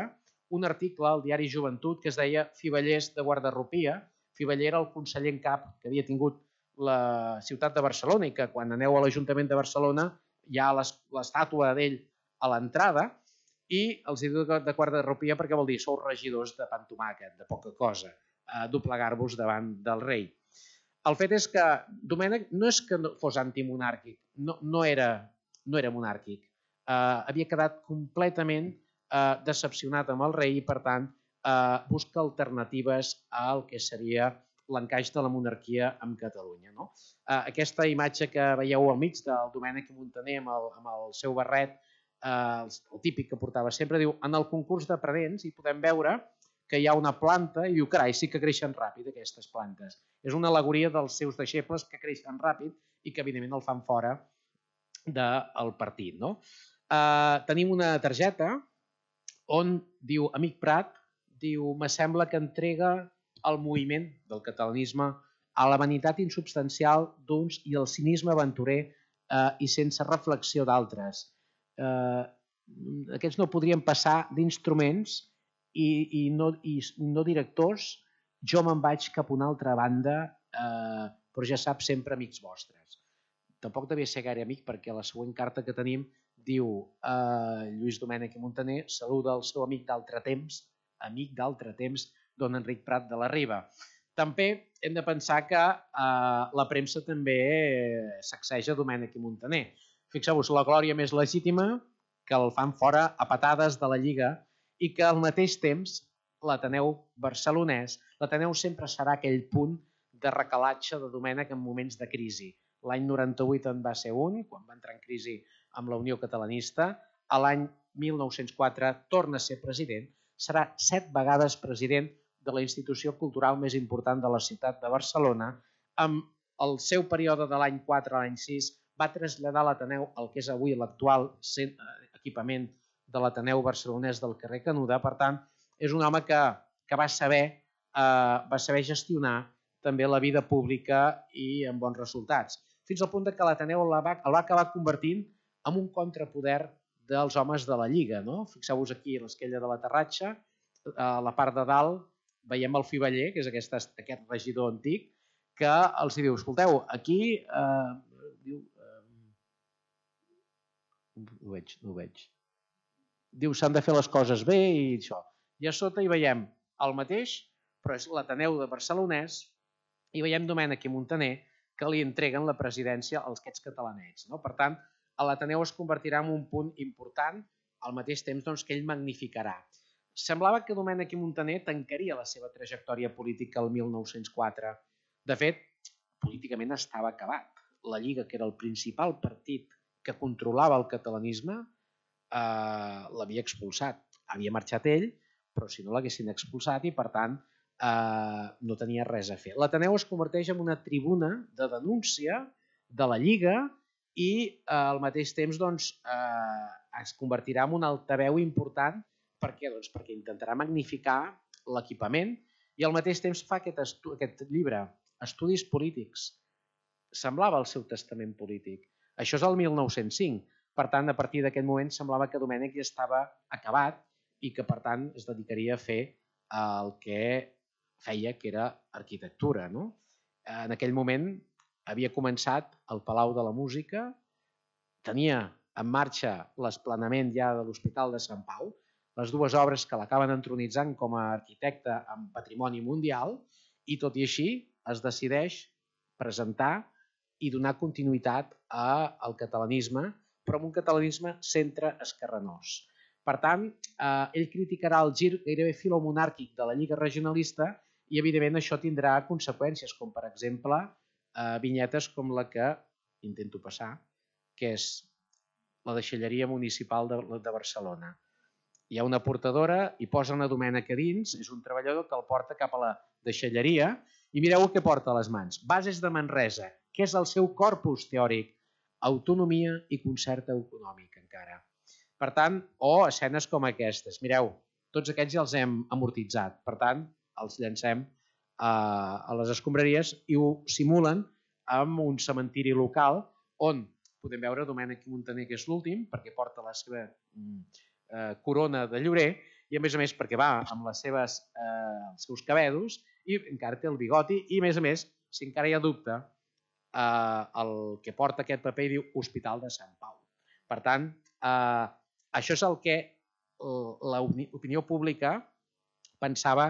un article al diari Joventut que es deia Fivellers de Guardarropia. Fiveller era el conseller en cap que havia tingut la ciutat de Barcelona i que quan aneu a l'Ajuntament de Barcelona hi ha l'estàtua d'ell a l'entrada i els diu de guardarropia perquè vol dir sou regidors de pan tomàquet, de poca cosa, doblegar-vos davant del rei. El fet és que Domènec no és que fos antimonàrquic, no era monàrquic, havia quedat completament decepcionat amb el rei i per tant busca alternatives al que seria l'encaix de la monarquia amb Catalunya. Aquesta imatge que veieu al mig del Domènec i Muntaner amb el seu barret, el típic que portava sempre, diu en el concurs de predents hi podem veure que hi ha una planta i diu carai, sí que creixen ràpid aquestes plantes. És una al·legoria dels seus deixebles que creixen ràpid i que evidentment el fan fora del partit. Tenim una targeta on diu Amic Prat, diu, me sembla que entrega el moviment del catalanisme a la vanitat insubstancial d'uns i el cinisme aventurer i sense reflexió d'altres. Aquests no podrien passar d'instruments i no directors. Jo me'n vaig cap a una altra banda, però ja saps, sempre amics vostres. Tampoc devia ser gaire amic perquè la següent carta que tenim diu Lluís Domènec i Muntaner saluda el seu amic d'altre temps, don Enric Prat de la Riba. També hem de pensar que la premsa també sacseja Domènec i Muntaner. Fixeu-vos, la glòria més legítima que el fan fora a patades de la Lliga i que al mateix temps l'Ateneu barcelonès, l'Ateneu sempre serà aquell punt de recalatge de Domènec en moments de crisi. L'any 98 en va ser un, quan va entrar en crisi amb la Unió Catalanista. A l'any 1904 torna a ser president. Serà 7 vegades president de la institució cultural més important de la ciutat de Barcelona. Amb el seu període de l'any 4 a l'any 6 va traslladar l'Ateneu al que és avui l'actual equipament de l'Ateneu barcelonès del carrer Canuda. Per tant, és un home que va saber gestionar també la vida pública i amb bons resultats. Fins al punt que l'Ateneu el va acabar convertint en un contrapoder dels homes de la Lliga. Fixeu-vos aquí l'Esquella de la Torratxa, a la part de dalt veiem el Fiveller, que és aquest regidor antic, que els diu, escolteu, aquí... No ho veig. Diu, s'han de fer les coses bé i això. I a sota hi veiem el mateix, però és l'Ateneu de Barcelonès, i veiem Domènec i Muntaner que li entreguen la presidència als aquests catalanets. Per tant, l'Ateneu es convertirà en un punt important al mateix temps que ell magnificarà. Semblava que Domènech i Montaner tancaria la seva trajectòria política el 1904. De fet, políticament estava acabat. La Lliga, que era el principal partit que controlava el catalanisme, l'havia expulsat. Havia marxat ell, però si no l'haguessin expulsat i, per tant, no tenia res a fer. L'Ateneu es converteix en una tribuna de denúncia de la Lliga i al mateix temps es convertirà en un altaveu important. Per què? Perquè intentarà magnificar l'equipament i al mateix temps fa aquest llibre, Estudis polítics. Semblava el seu testament polític. Això és el 1905. Per tant, a partir d'aquest moment semblava que Domènech ja estava acabat i que, per tant, es dedicaria a fer el que feia, que era arquitectura. En aquell moment havia començat el Palau de la Música, tenia en marxa l'esplanament ja de l'Hospital de Sant Pau, les dues obres que l'acaben entronitzant com a arquitecte en patrimoni mundial, i tot i així es decideix presentar i donar continuïtat al catalanisme, però amb un catalanisme centre-esquerranós. Per tant, ell criticarà el gir gairebé filomonàrquic de la Lliga Regionalista i, evidentment, això tindrà conseqüències, com per exemple vinyetes com la que intento passar, que és la deixalleria municipal de Barcelona. Hi ha una portadora i posa una Domènech a dins, és un treballador que el porta cap a la deixalleria i mireu el que porta a les mans. Bases de Manresa, que és el seu corpus teòric, autonomia i concert econòmic encara. Per tant, o escenes com aquestes. Mireu, tots aquests ja els hem amortitzat, per tant, els llancem a les escombraries i ho simulen amb un cementiri local on podem veure Domènech i Montaner, que és l'últim, perquè porta la seva corona de llorer i, a més, perquè va amb els seus cabedos i encara té el bigoti i, a més, si encara hi ha dubte, el que porta aquest paper diu Hospital de Sant Pau. Per tant, això és el que l'opinió pública pensava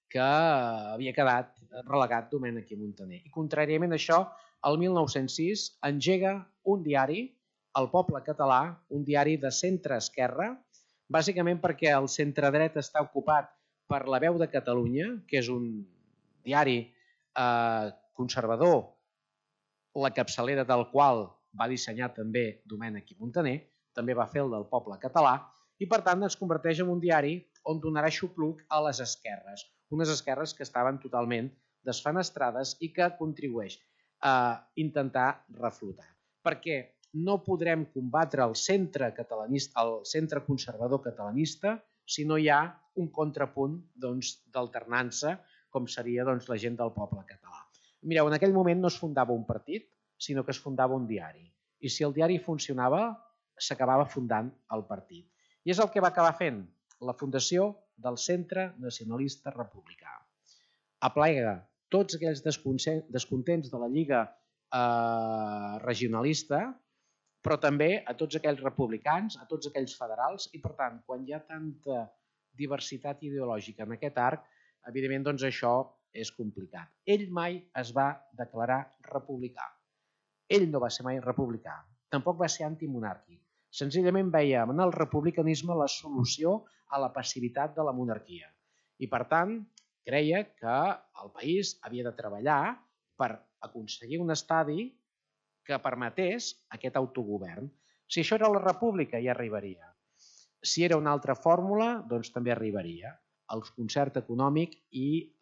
que havia quedat relegat Domènech i Montaner. I, contràriament a això, el 1906 engega un diari, El Poble Català, un diari de centre-esquerra, bàsicament perquè el centre-dret està ocupat per La Veu de Catalunya, que és un diari conservador, la capçalera del qual va dissenyar també Domènech i Montaner, també va fer el del Poble Català, i per tant es converteix en un diari on donarà xupluc a les esquerres, unes esquerres que estaven totalment desfenestrades i que contribueix a intentar reflotar. Perquè no podrem combatre el centre conservador catalanista si no hi ha un contrapunt d'alternança, com seria la gent del poble català. Mireu, en aquell moment no es fundava un partit, sinó que es fundava un diari. I si el diari funcionava, s'acabava fundant el partit. I és el que va acabar fent la fundació del Centre Nacionalista Republicà. Aplega tots aquells descontents de la Lliga regionalista, però també a tots aquells republicans, a tots aquells federals, i per tant, quan hi ha tanta diversitat ideològica en aquest arc, evidentment això és complicat. Ell mai es va declarar republicà. Ell no va ser mai republicà, tampoc va ser antimonàrquic. Senzillament veia en el republicanisme la solució a la passivitat de la monarquia. I per tant, creia que el país havia de treballar per aconseguir un estadi que permetés aquest autogovern. Si això era la república, ja arribaria. Si era una altra fórmula, doncs també arribaria. El concert econòmic i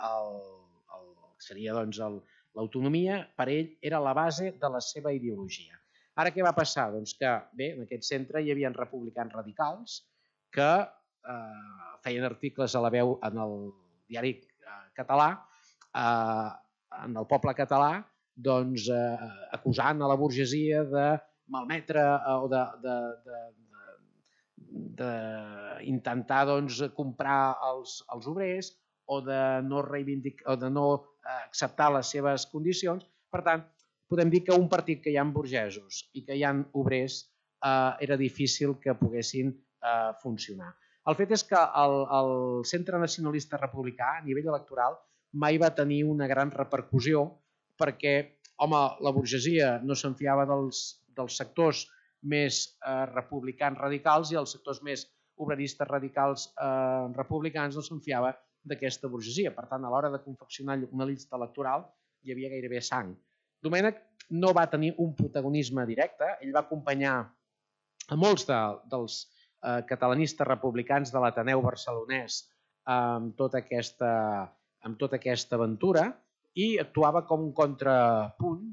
seria l'autonomia, per ell era la base de la seva ideologia. Ara què va passar? Doncs que, bé, en aquest centre hi havia republicans radicals que feien articles a La Veu en el diari català, en el poble català, doncs acusant a la burgesia de malmetre o d'intentar comprar els obrers o de no acceptar les seves condicions. Per tant, podem dir que un partit que hi ha burgesos i que hi ha obrers era difícil que poguessin funcionar. El fet és que el Centre Nacionalista Republicà a nivell electoral mai va tenir una gran repercussió perquè, home, la burgesia no se'n fiava dels sectors republicans radicals i els sectors més obreristes radicals republicans no se'n fiava d'aquesta burgesia. Per tant, a l'hora de confeccionar una llista electoral hi havia gairebé sang. Domènech no va tenir un protagonisme directe, ell va acompanyar a molts dels catalanistes republicans de l'Ateneu barcelonès amb tota aquesta aventura i actuava com un contrapunt.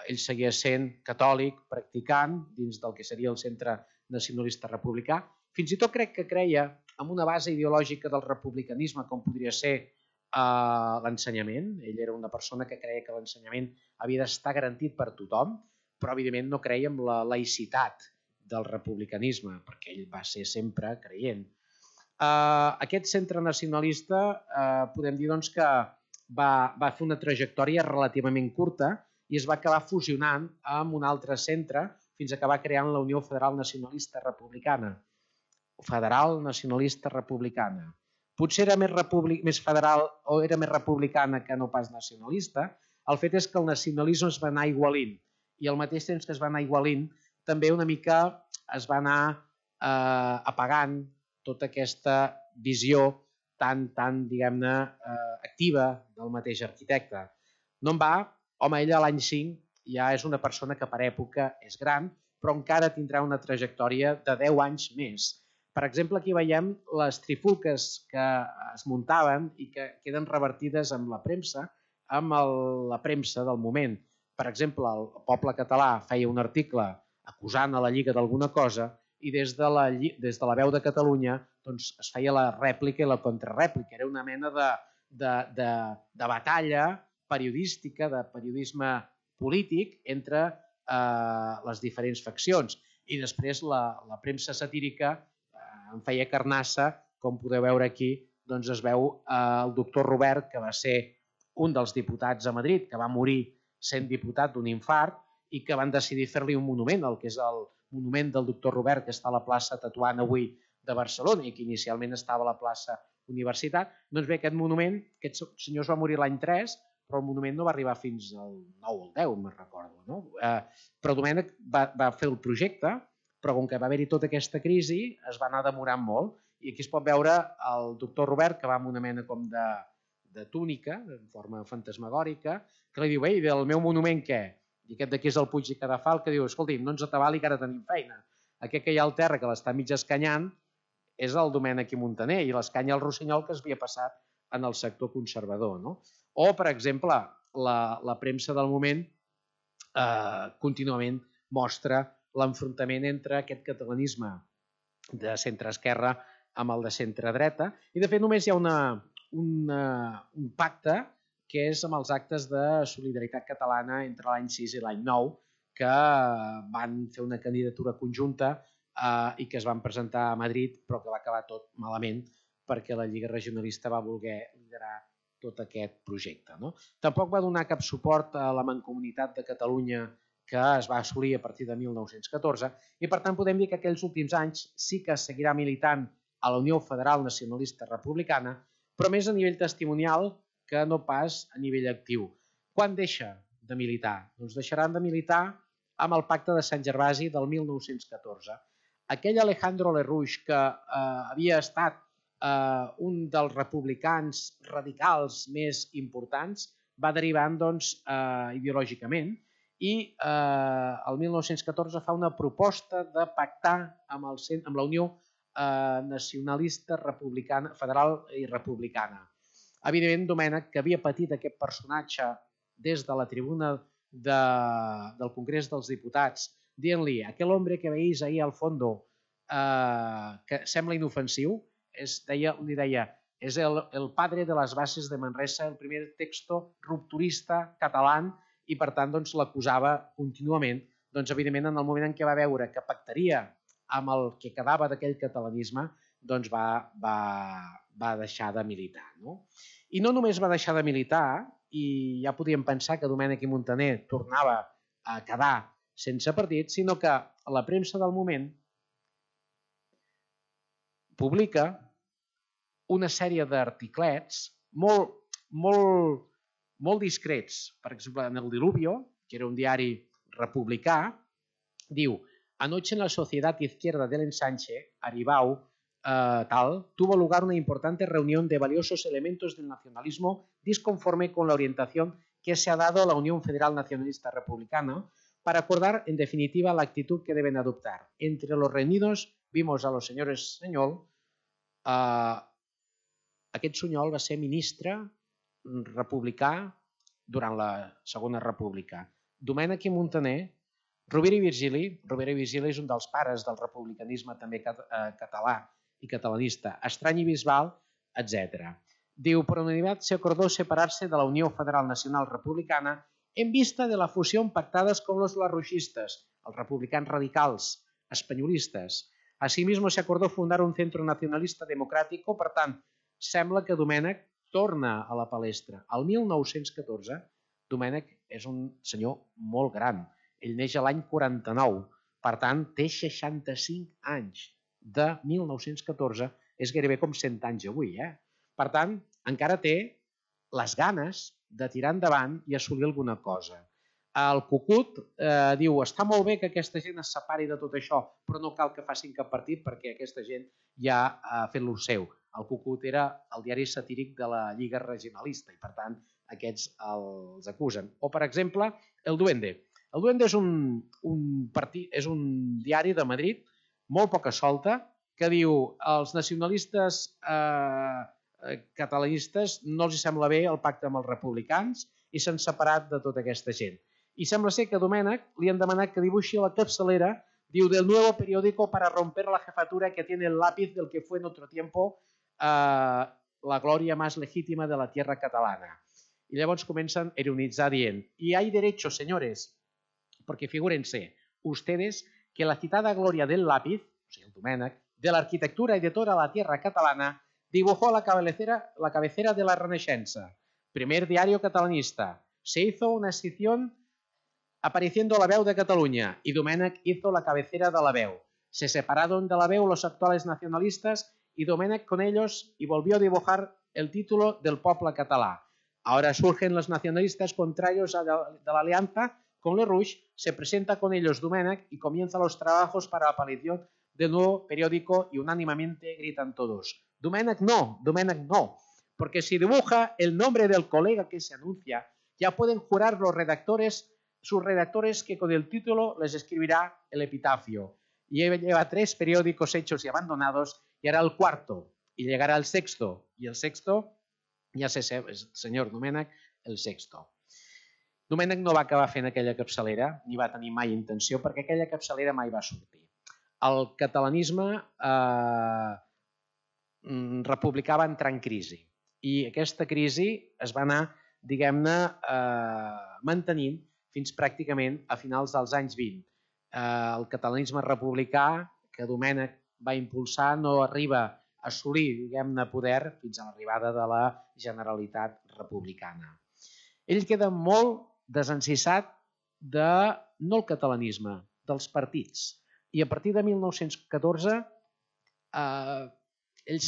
Ell seguia sent catòlic, practicant, dins del que seria el Centre Nacionalista Republicà. Fins i tot crec que creia en una base ideològica del republicanisme, com podria ser l'ensenyament. Ell era una persona que creia que l'ensenyament havia d'estar garantit per tothom, però evidentment no creia en la laïcitat del republicanisme, perquè ell va ser sempre creient. Aquest centre nacionalista podem dir que va fer una trajectòria relativament curta i es va acabar fusionant amb un altre centre fins a acabar creant la Unió Federal Nacionalista Republicana. Federal Nacionalista Republicana. Potser era més federal o era més republicana que no pas nacionalista. El fet és que el nacionalisme es va anar igualint i al mateix temps que es va anar igualint també una mica es va anar apagant tota aquesta visió tan diguem-ne, activa del mateix arquitecte. No en va, home, ella a l'any 5 ja és una persona que per època és gran, però encara tindrà una trajectòria de 10 anys més. Per exemple, aquí veiem les trifulques que es muntaven i que queden revertides amb la premsa, la premsa del moment. Per exemple, el Poble Català feia un article acusant a la Lliga d'alguna cosa i des de la Veu de Catalunya es feia la rèplica i la contrarèplica. Era una mena de batalla periodística, de periodisme polític entre les diferents faccions. I després la premsa satírica en feia carnassa, com podeu veure aquí, es veu el doctor Robert, que va ser un dels diputats a Madrid, que va morir sent diputat d'un infart i que van decidir fer-li un monument, el que és el monument del doctor Robert, que està a la plaça Tetuan avui de Barcelona i que inicialment estava a la plaça Universitat. Doncs bé, aquest monument, aquest senyor va morir l'any 3, però el monument no va arribar fins al 9 o el 10, me'n recordo. No? Però Domènech va fer el projecte, però com que va haver-hi tota aquesta crisi es va anar demorant molt i aquí es pot veure el doctor Robert que va amb una mena com de túnica en forma fantasmagòrica que li diu, ei, del meu monument què? I aquest d'aquí és el Puig i Cadafal que diu, escolti, no ens atabali que ara tenim feina. Aquest que hi ha al terra que l'està mig escanyant és el Domènech i Montaner i l'escanya el Rossinyol que es havia passat en el sector conservador. No? O, per exemple, la premsa del moment contínuament mostra l'enfrontament entre aquest catalanisme de centre-esquerra amb el de centre-dreta i de fet només hi ha un pacte que és amb els actes de solidaritat catalana entre l'any 6 i l'any 9 que van fer una candidatura conjunta i que es van presentar a Madrid però que va acabar tot malament perquè la Lliga Regionalista va voler liderar tot aquest projecte. No? Tampoc va donar cap suport a la Mancomunitat de Catalunya que es va assolir a partir de 1914 i per tant podem dir que aquells últims anys sí que seguirà militant a la Unió Federal Nacionalista Republicana, però més a nivell testimonial que no pas a nivell actiu. Quan deixa de militar? Doncs deixaran de militar amb el Pacte de Sant Gervasi del 1914. Aquell Alejandro Lerrouche que havia estat un dels republicans radicals més importants va derivant ideològicament i el 1914 fa una proposta de pactar amb la Unió Nacionalista Republicana, Federal i Republicana. Evidentment, Domènech, que havia patit aquest personatge des de la tribuna del Congrés dels Diputats, dient-li, aquel hombre que veís ahí al fondo, que sembla inofensiu, li deia, és el padre de les bases de Manresa, el primer texto rupturista català, i per tant l'acusava contínuament. Evidentment, en el moment en què va veure que pactaria amb el que quedava d'aquell catalanisme, va deixar de militar. I no només va deixar de militar, i ja podíem pensar que Domènech i Montaner tornava a quedar sense partit, sinó que la premsa del moment publica una sèrie d'articlets molt discrets. Per exemple, en el Diluvio, que era un diari republicà, diu Anoche en la Sociedad Izquierda del Ensanche, Aribau, tuvo lugar una importante reunión de valiosos elementos del nacionalismo disconforme con la orientación que se ha dado a la Unión Federal Nacionalista Republicana para acordar, en definitiva, la actitud que deben adoptar. Entre los reunidos vimos a los señores Sunyol. Aquest Sunyol va ser ministre republicà durant la Segona República. Domènec i Muntaner, Rovira i Virgili és un dels pares del republicanisme també català y catalanista, Estrany y Bisbal, etc. Diu, por unanimidad se acordó separarse de la Unión Federal Nacional Republicana en vista de la fusión pactadas con los larruixistas, els republicans radicals, espanyolistes. Asimismo se acordó fundar un centro nacionalista democrático, per tant, sembla que Domènec torna a la palestra. El 1914, Domènec és un senyor molt gran. Ell neix a l'any 49, per tant, té 65 anys. De 1914 és gairebé com 100 anys avui. Per tant, encara té les ganes de tirar endavant i assolir alguna cosa. El Cucut diu, està molt bé que aquesta gent es separi de tot això, però no cal que facin cap partit perquè aquesta gent ja ha fet lo seu. El Cucut era el diari satíric de la Lliga Regionalista i, per tant, aquests els acusen. O, per exemple, El Duende. El Duende és un diari de Madrid molt poca solta, que diu els nacionalistes catalanistes no els sembla bé el pacte amb els republicans i s'han separat de tota aquesta gent. I sembla ser que a Domènec li han demanat que dibuixi la capçalera, diu, del nuevo periódico para romper la jefatura que tiene el lápiz del que fue en otro tiempo la gloria más legítima de la tierra catalana. I llavors comencen a ironitzar dient, y hay derechos, señores, porque figúrense, ustedes que la citada gloria del lápiz, o sigui, el Domènec, de la arquitectura y de toda la tierra catalana, dibujó la cabecera de la Renaixença, primer diario catalanista. Se hizo una escisión apareciendo la Veu de Cataluña y Domènec hizo la cabecera de la Veu. Se separaron de la Veu los actuales nacionalistas y Domènec con ellos y volvió a dibujar el título del poble català. Ahora surgen los nacionalistas contrarios de la alianza con Le Rouge, se presenta con ellos Domènec y comienza los trabajos para la aparición del nuevo periódico y unánimemente gritan todos, Domènec no, porque si dibuja el nombre del colega que se anuncia, ya pueden jurar sus redactores que con el título les escribirá el epitafio. Y lleva 3 periódicos hechos y abandonados y hará el 4º y llegará el 6º y el 6º ja sé ser el senyor Domènec el 6º. Domènec no va acabar fent aquella capçalera, ni va tenir mai intenció, perquè aquella capçalera mai va sortir. El catalanisme republicà va entrar en crisi i aquesta crisi es va anar, diguem-ne, mantenint fins pràcticament a finals dels anys 20. El catalanisme republicà que Domènec va impulsar no arriba a assolir, diguem-ne, poder fins a l'arribada de la Generalitat Republicana. Ell queda molt desencissat de, no el catalanisme, dels partits. I a partir de 1914 ell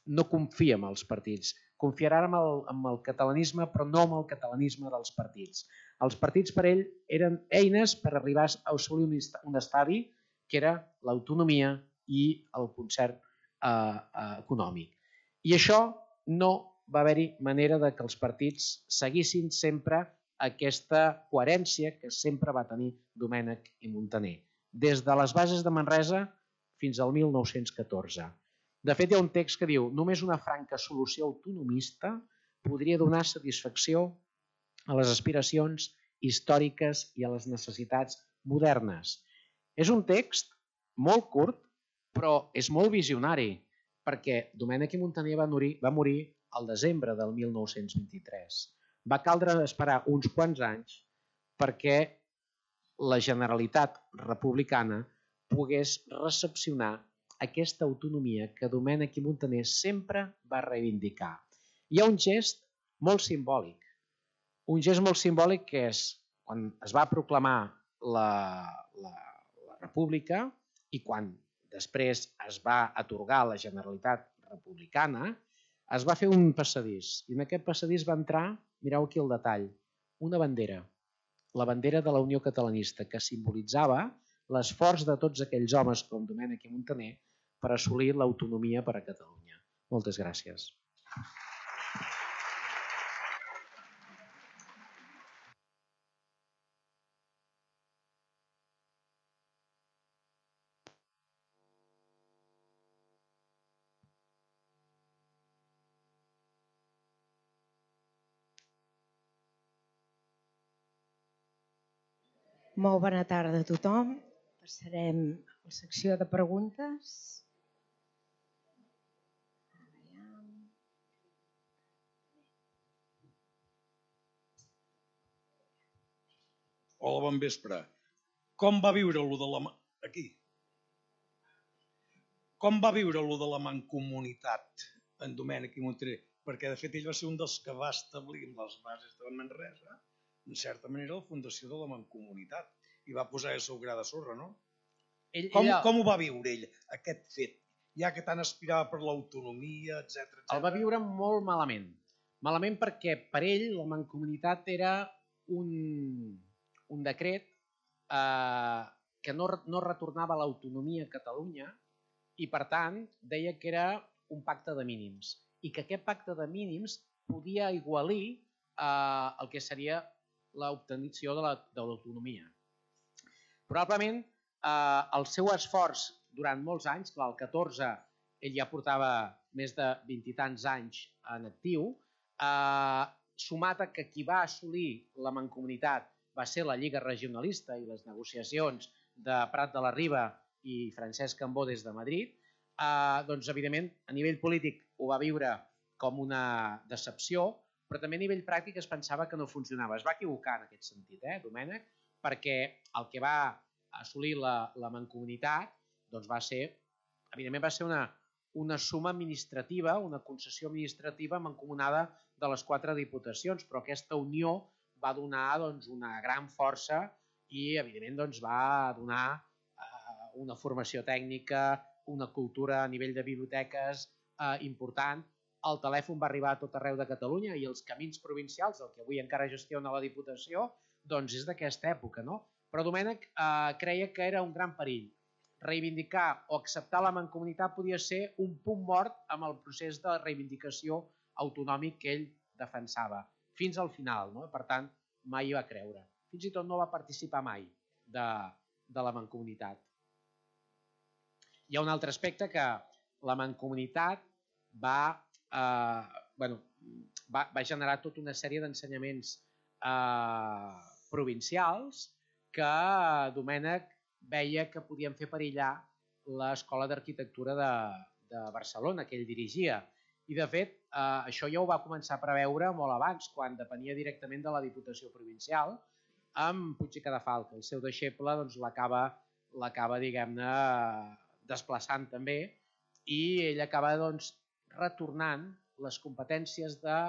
no confia en els partits. Confiarà en el catalanisme, però no en el catalanisme dels partits. Els partits per ell eren eines per arribar a assolir un estadi que era l'autonomia i el concert econòmic. I això no va haver-hi manera de que els partits seguissin sempre aquesta coherència que sempre va tenir Domènec i Muntaner, des de les bases de Manresa fins al 1914. De fet, hi ha un text que diu «Només una franca solució autonomista podria donar satisfacció a les aspiracions històriques i a les necessitats modernes». És un text molt curt, però és molt visionari, perquè Domènec i Muntaner va morir al desembre del 1923. Va caldre esperar uns quants anys perquè la Generalitat Republicana pogués recepcionar aquesta autonomia que Domènec i Muntaner sempre va reivindicar. Hi ha un gest molt simbòlic. Un gest molt simbòlic que és quan es va proclamar la República i quan després es va atorgar la Generalitat Republicana, es va fer un passadís i en aquest passadís va entrar, mireu aquí el detall, una bandera. la bandera de la Unió Catalanista, que simbolitzava l'esforç de tots aquells homes com Domènech i Muntaner per assolir l'autonomia per a Catalunya. Moltes gràcies. Molt bona tarda a tothom. Passarem a la secció de preguntes. Hola, bon vespre. Com va viure lo de la... Aquí. Com va viure lo de la mancomunitat en Domènech i Muntaner? Perquè, de fet, ell va ser un dels que va establir les bases de Manresa, en certa manera, la fundació de la mancomunitat, i va posar el seu gra de sorra, no? Com ho va viure ell, aquest fet? Ja que tant aspirava per l'autonomia, etc. El va viure molt malament. Malament perquè per ell la mancomunitat era un decret que no retornava l'autonomia a Catalunya i, per tant, deia que era un pacte de mínims i que aquest pacte de mínims podia aigualir el que seria l'obtenció de l'autonomia. Probablement el seu esforç durant molts anys, clar, el 14 ell ja portava més de 20 i tants anys en actiu, sumat a que qui va assolir la mancomunitat va ser la Lliga Regionalista i les negociacions de Prat de la Riba i Francesc Cambó des de Madrid, doncs evidentment a nivell polític ho va viure com una decepció, però també a nivell pràctic es pensava que no funcionava. Es va equivocar en aquest sentit, Domènech, perquè el que va assolir la mancomunitat doncs va ser, evidentment va ser una suma administrativa, una concessió administrativa mancomunada de les 4 diputacions, però aquesta unió va donar una gran força i evidentment va donar una formació tècnica, una cultura a nivell de biblioteques important. El telèfon va arribar a tot arreu de Catalunya i els camins provincials, el que avui encara gestiona la Diputació, doncs és d'aquesta època, no? Però Domènech creia que era un gran perill. Reivindicar o acceptar la mancomunitat podia ser un punt mort amb el procés de reivindicació autonòmic que ell defensava, fins al final, no? Per tant, mai hi va creure. Fins i tot no va participar mai de la mancomunitat. Hi ha un altre aspecte que la mancomunitat va generar tota una sèrie d'ensenyaments provincials que Domènech veia que podien fer perillar l'Escola d'Arquitectura de Barcelona, que ell dirigia. I, de fet, això ja ho va començar a preveure molt abans, quan depenia directament de la Diputació Provincial, amb Puig i Cadafalch. El seu deixeble l'acaba, diguem-ne, desplaçant també, i ell acaba retornant les competències de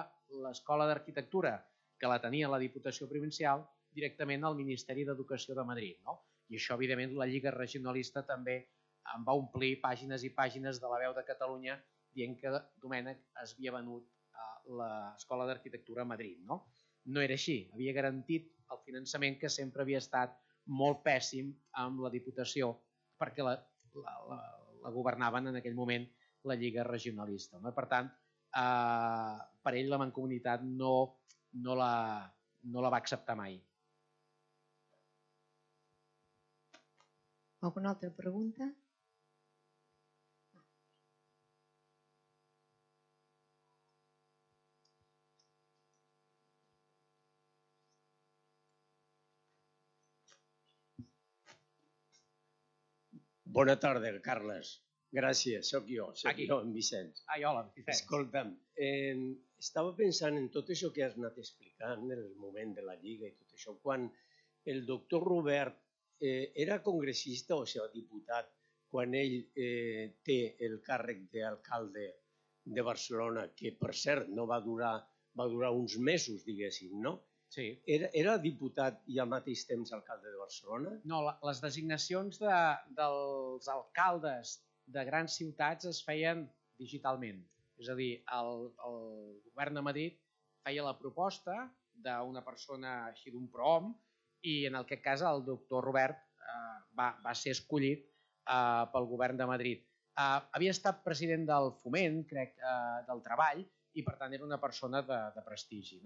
l'Escola d'Arquitectura, que la tenia la Diputació Provincial, directament al Ministeri d'Educació de Madrid. I això, evidentment, la Lliga Regionalista també en va omplir pàgines i pàgines de la Veu de Catalunya dient que Domènech es havia venut a l'Escola d'Arquitectura a Madrid. No era així, havia garantit el finançament, que sempre havia estat molt pèssim amb la Diputació, perquè la governaven en aquell moment la Lliga Regionalista. Per tant, per ell la mancomunitat no la va acceptar mai. Alguna altra pregunta? Bona tarda, Carles. Gràcies, soc jo, en Vicenç. Hola, Vicenç. Escolta'm, estava pensant en tot això que has anat explicant, en el moment de la Lliga i tot això, quan el doctor Robert era congressista, o sigui, diputat, quan ell té el càrrec d'alcalde de Barcelona, que per cert no va durar uns mesos, diguéssim, no? Sí. Era diputat i al mateix temps alcalde de Barcelona? No, les designacions dels alcaldes de grans ciutats es feien digitalment. És a dir, el govern de Madrid feia la proposta d'una persona així d'un prohom i en aquest cas el doctor Robert va ser escollit pel govern de Madrid. Havia estat president del Foment, crec, del Treball, i per tant era una persona de prestigi.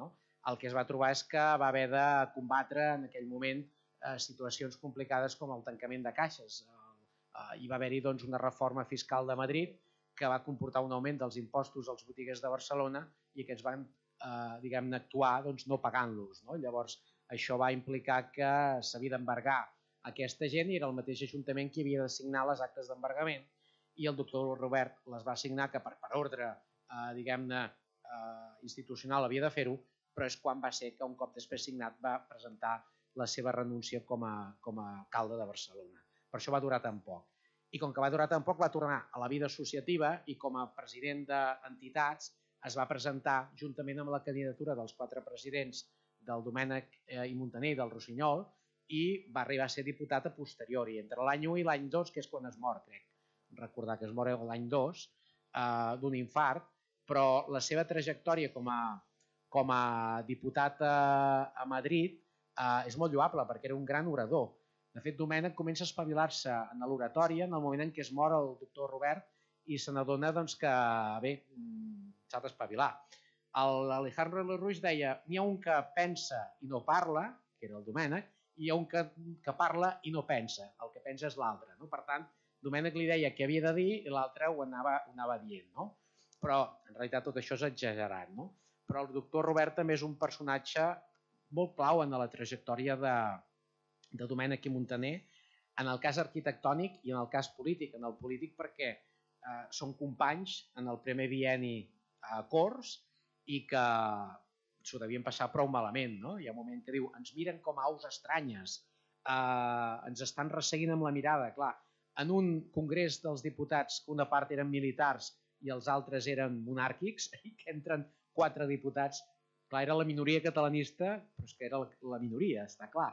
El que es va trobar és que va haver de combatre en aquell moment situacions complicades com el tancament de caixes. Hi va haver-hi una reforma fiscal de Madrid que va comportar un augment dels impostos als botiguers de Barcelona i aquests van actuar no pagant-los. Llavors, això va implicar que s'havia d'embargar aquesta gent i era el mateix Ajuntament qui havia de signar les actes d'embargament i el doctor Robert les va signar, que per ordre institucional havia de fer-ho, però és quan va ser que un cop després signat va presentar la seva renúncia com a alcalde de Barcelona. Per això va durar tan poc. I com que va durar tan poc va tornar a la vida associativa i com a president d'entitats es va presentar juntament amb la candidatura dels 4 presidents del Domènec i Muntaner i del Rossinyol i va arribar a ser diputat a posteriori, entre l'any 1 i l'any 2, que és quan es mor, crec. Recordar que es mor l'any 2 d'un infart, però la seva trajectòria com a diputat a Madrid és molt lloable perquè era un gran orador. De fet, Domènec comença a espavilar-se en l'oratòria en el moment en què es mor el doctor Robert i se n'adona que s'ha d'espavilar. L'Alejandro Lerroux deia n'hi ha un que pensa i no parla, que era el Domènec, i hi ha un que parla i no pensa, el que pensa és l'altre. Per tant, Domènec li deia què havia de dir i l'altre ho anava dient. Però en realitat tot això és exagerat. Però el doctor Robert també és un personatge molt clau en la trajectòria de Domènec i Muntaner, en el cas arquitectònic i en el cas polític. En el polític perquè són companys en el primer bienni a Corts i que s'ho devien passar prou malament. Hi ha un moment que diu ens miren com a aus estranyes, ens estan resseguint amb la mirada. Clar, en un congrés dels diputats que una part eren militars i els altres eren monàrquics i que entren 4 diputats, clar, era la minoria catalanista, però és que era la minoria, està clar.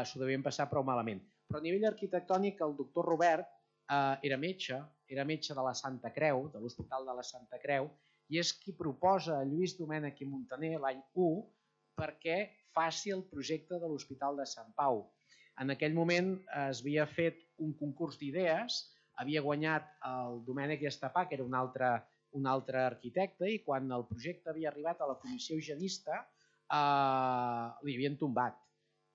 S'ho devien passar prou malament. Però a nivell arquitectònic el doctor Robert era metge de la Santa Creu, de l'Hospital de la Santa Creu, i és qui proposa a Lluís Domènech i Muntaner l'any 1 perquè faci el projecte de l'Hospital de Sant Pau. En aquell moment es havia fet un concurs d'idees, havia guanyat el Domènec i Estapà, que era un altre arquitecte, i quan el projecte havia arribat a la comissió higienista li havien tombat.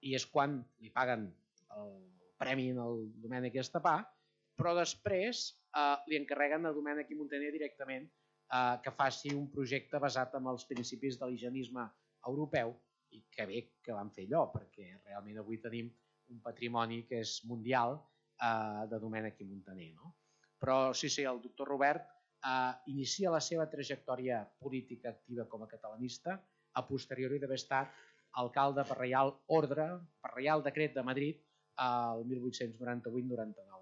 I és quan li paguen el premi al Domènec i Estapà, però després li encarreguen a Domènech i Muntaner directament que faci un projecte basat en els principis de l'higienisme europeu i que bé que van fer allò, perquè realment avui tenim un patrimoni que és mundial de Domènech i Muntaner. Però sí, el doctor Robert inicia la seva trajectòria política activa com a catalanista a posteriori d'haver estat alcalde per reial ordre, per reial decret de Madrid el 1898-99.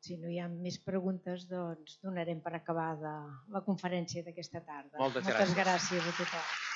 Si no hi ha més preguntes, doncs donarem per acabada la conferència d'aquesta tarda. Moltes gràcies. Moltes gràcies a tothom.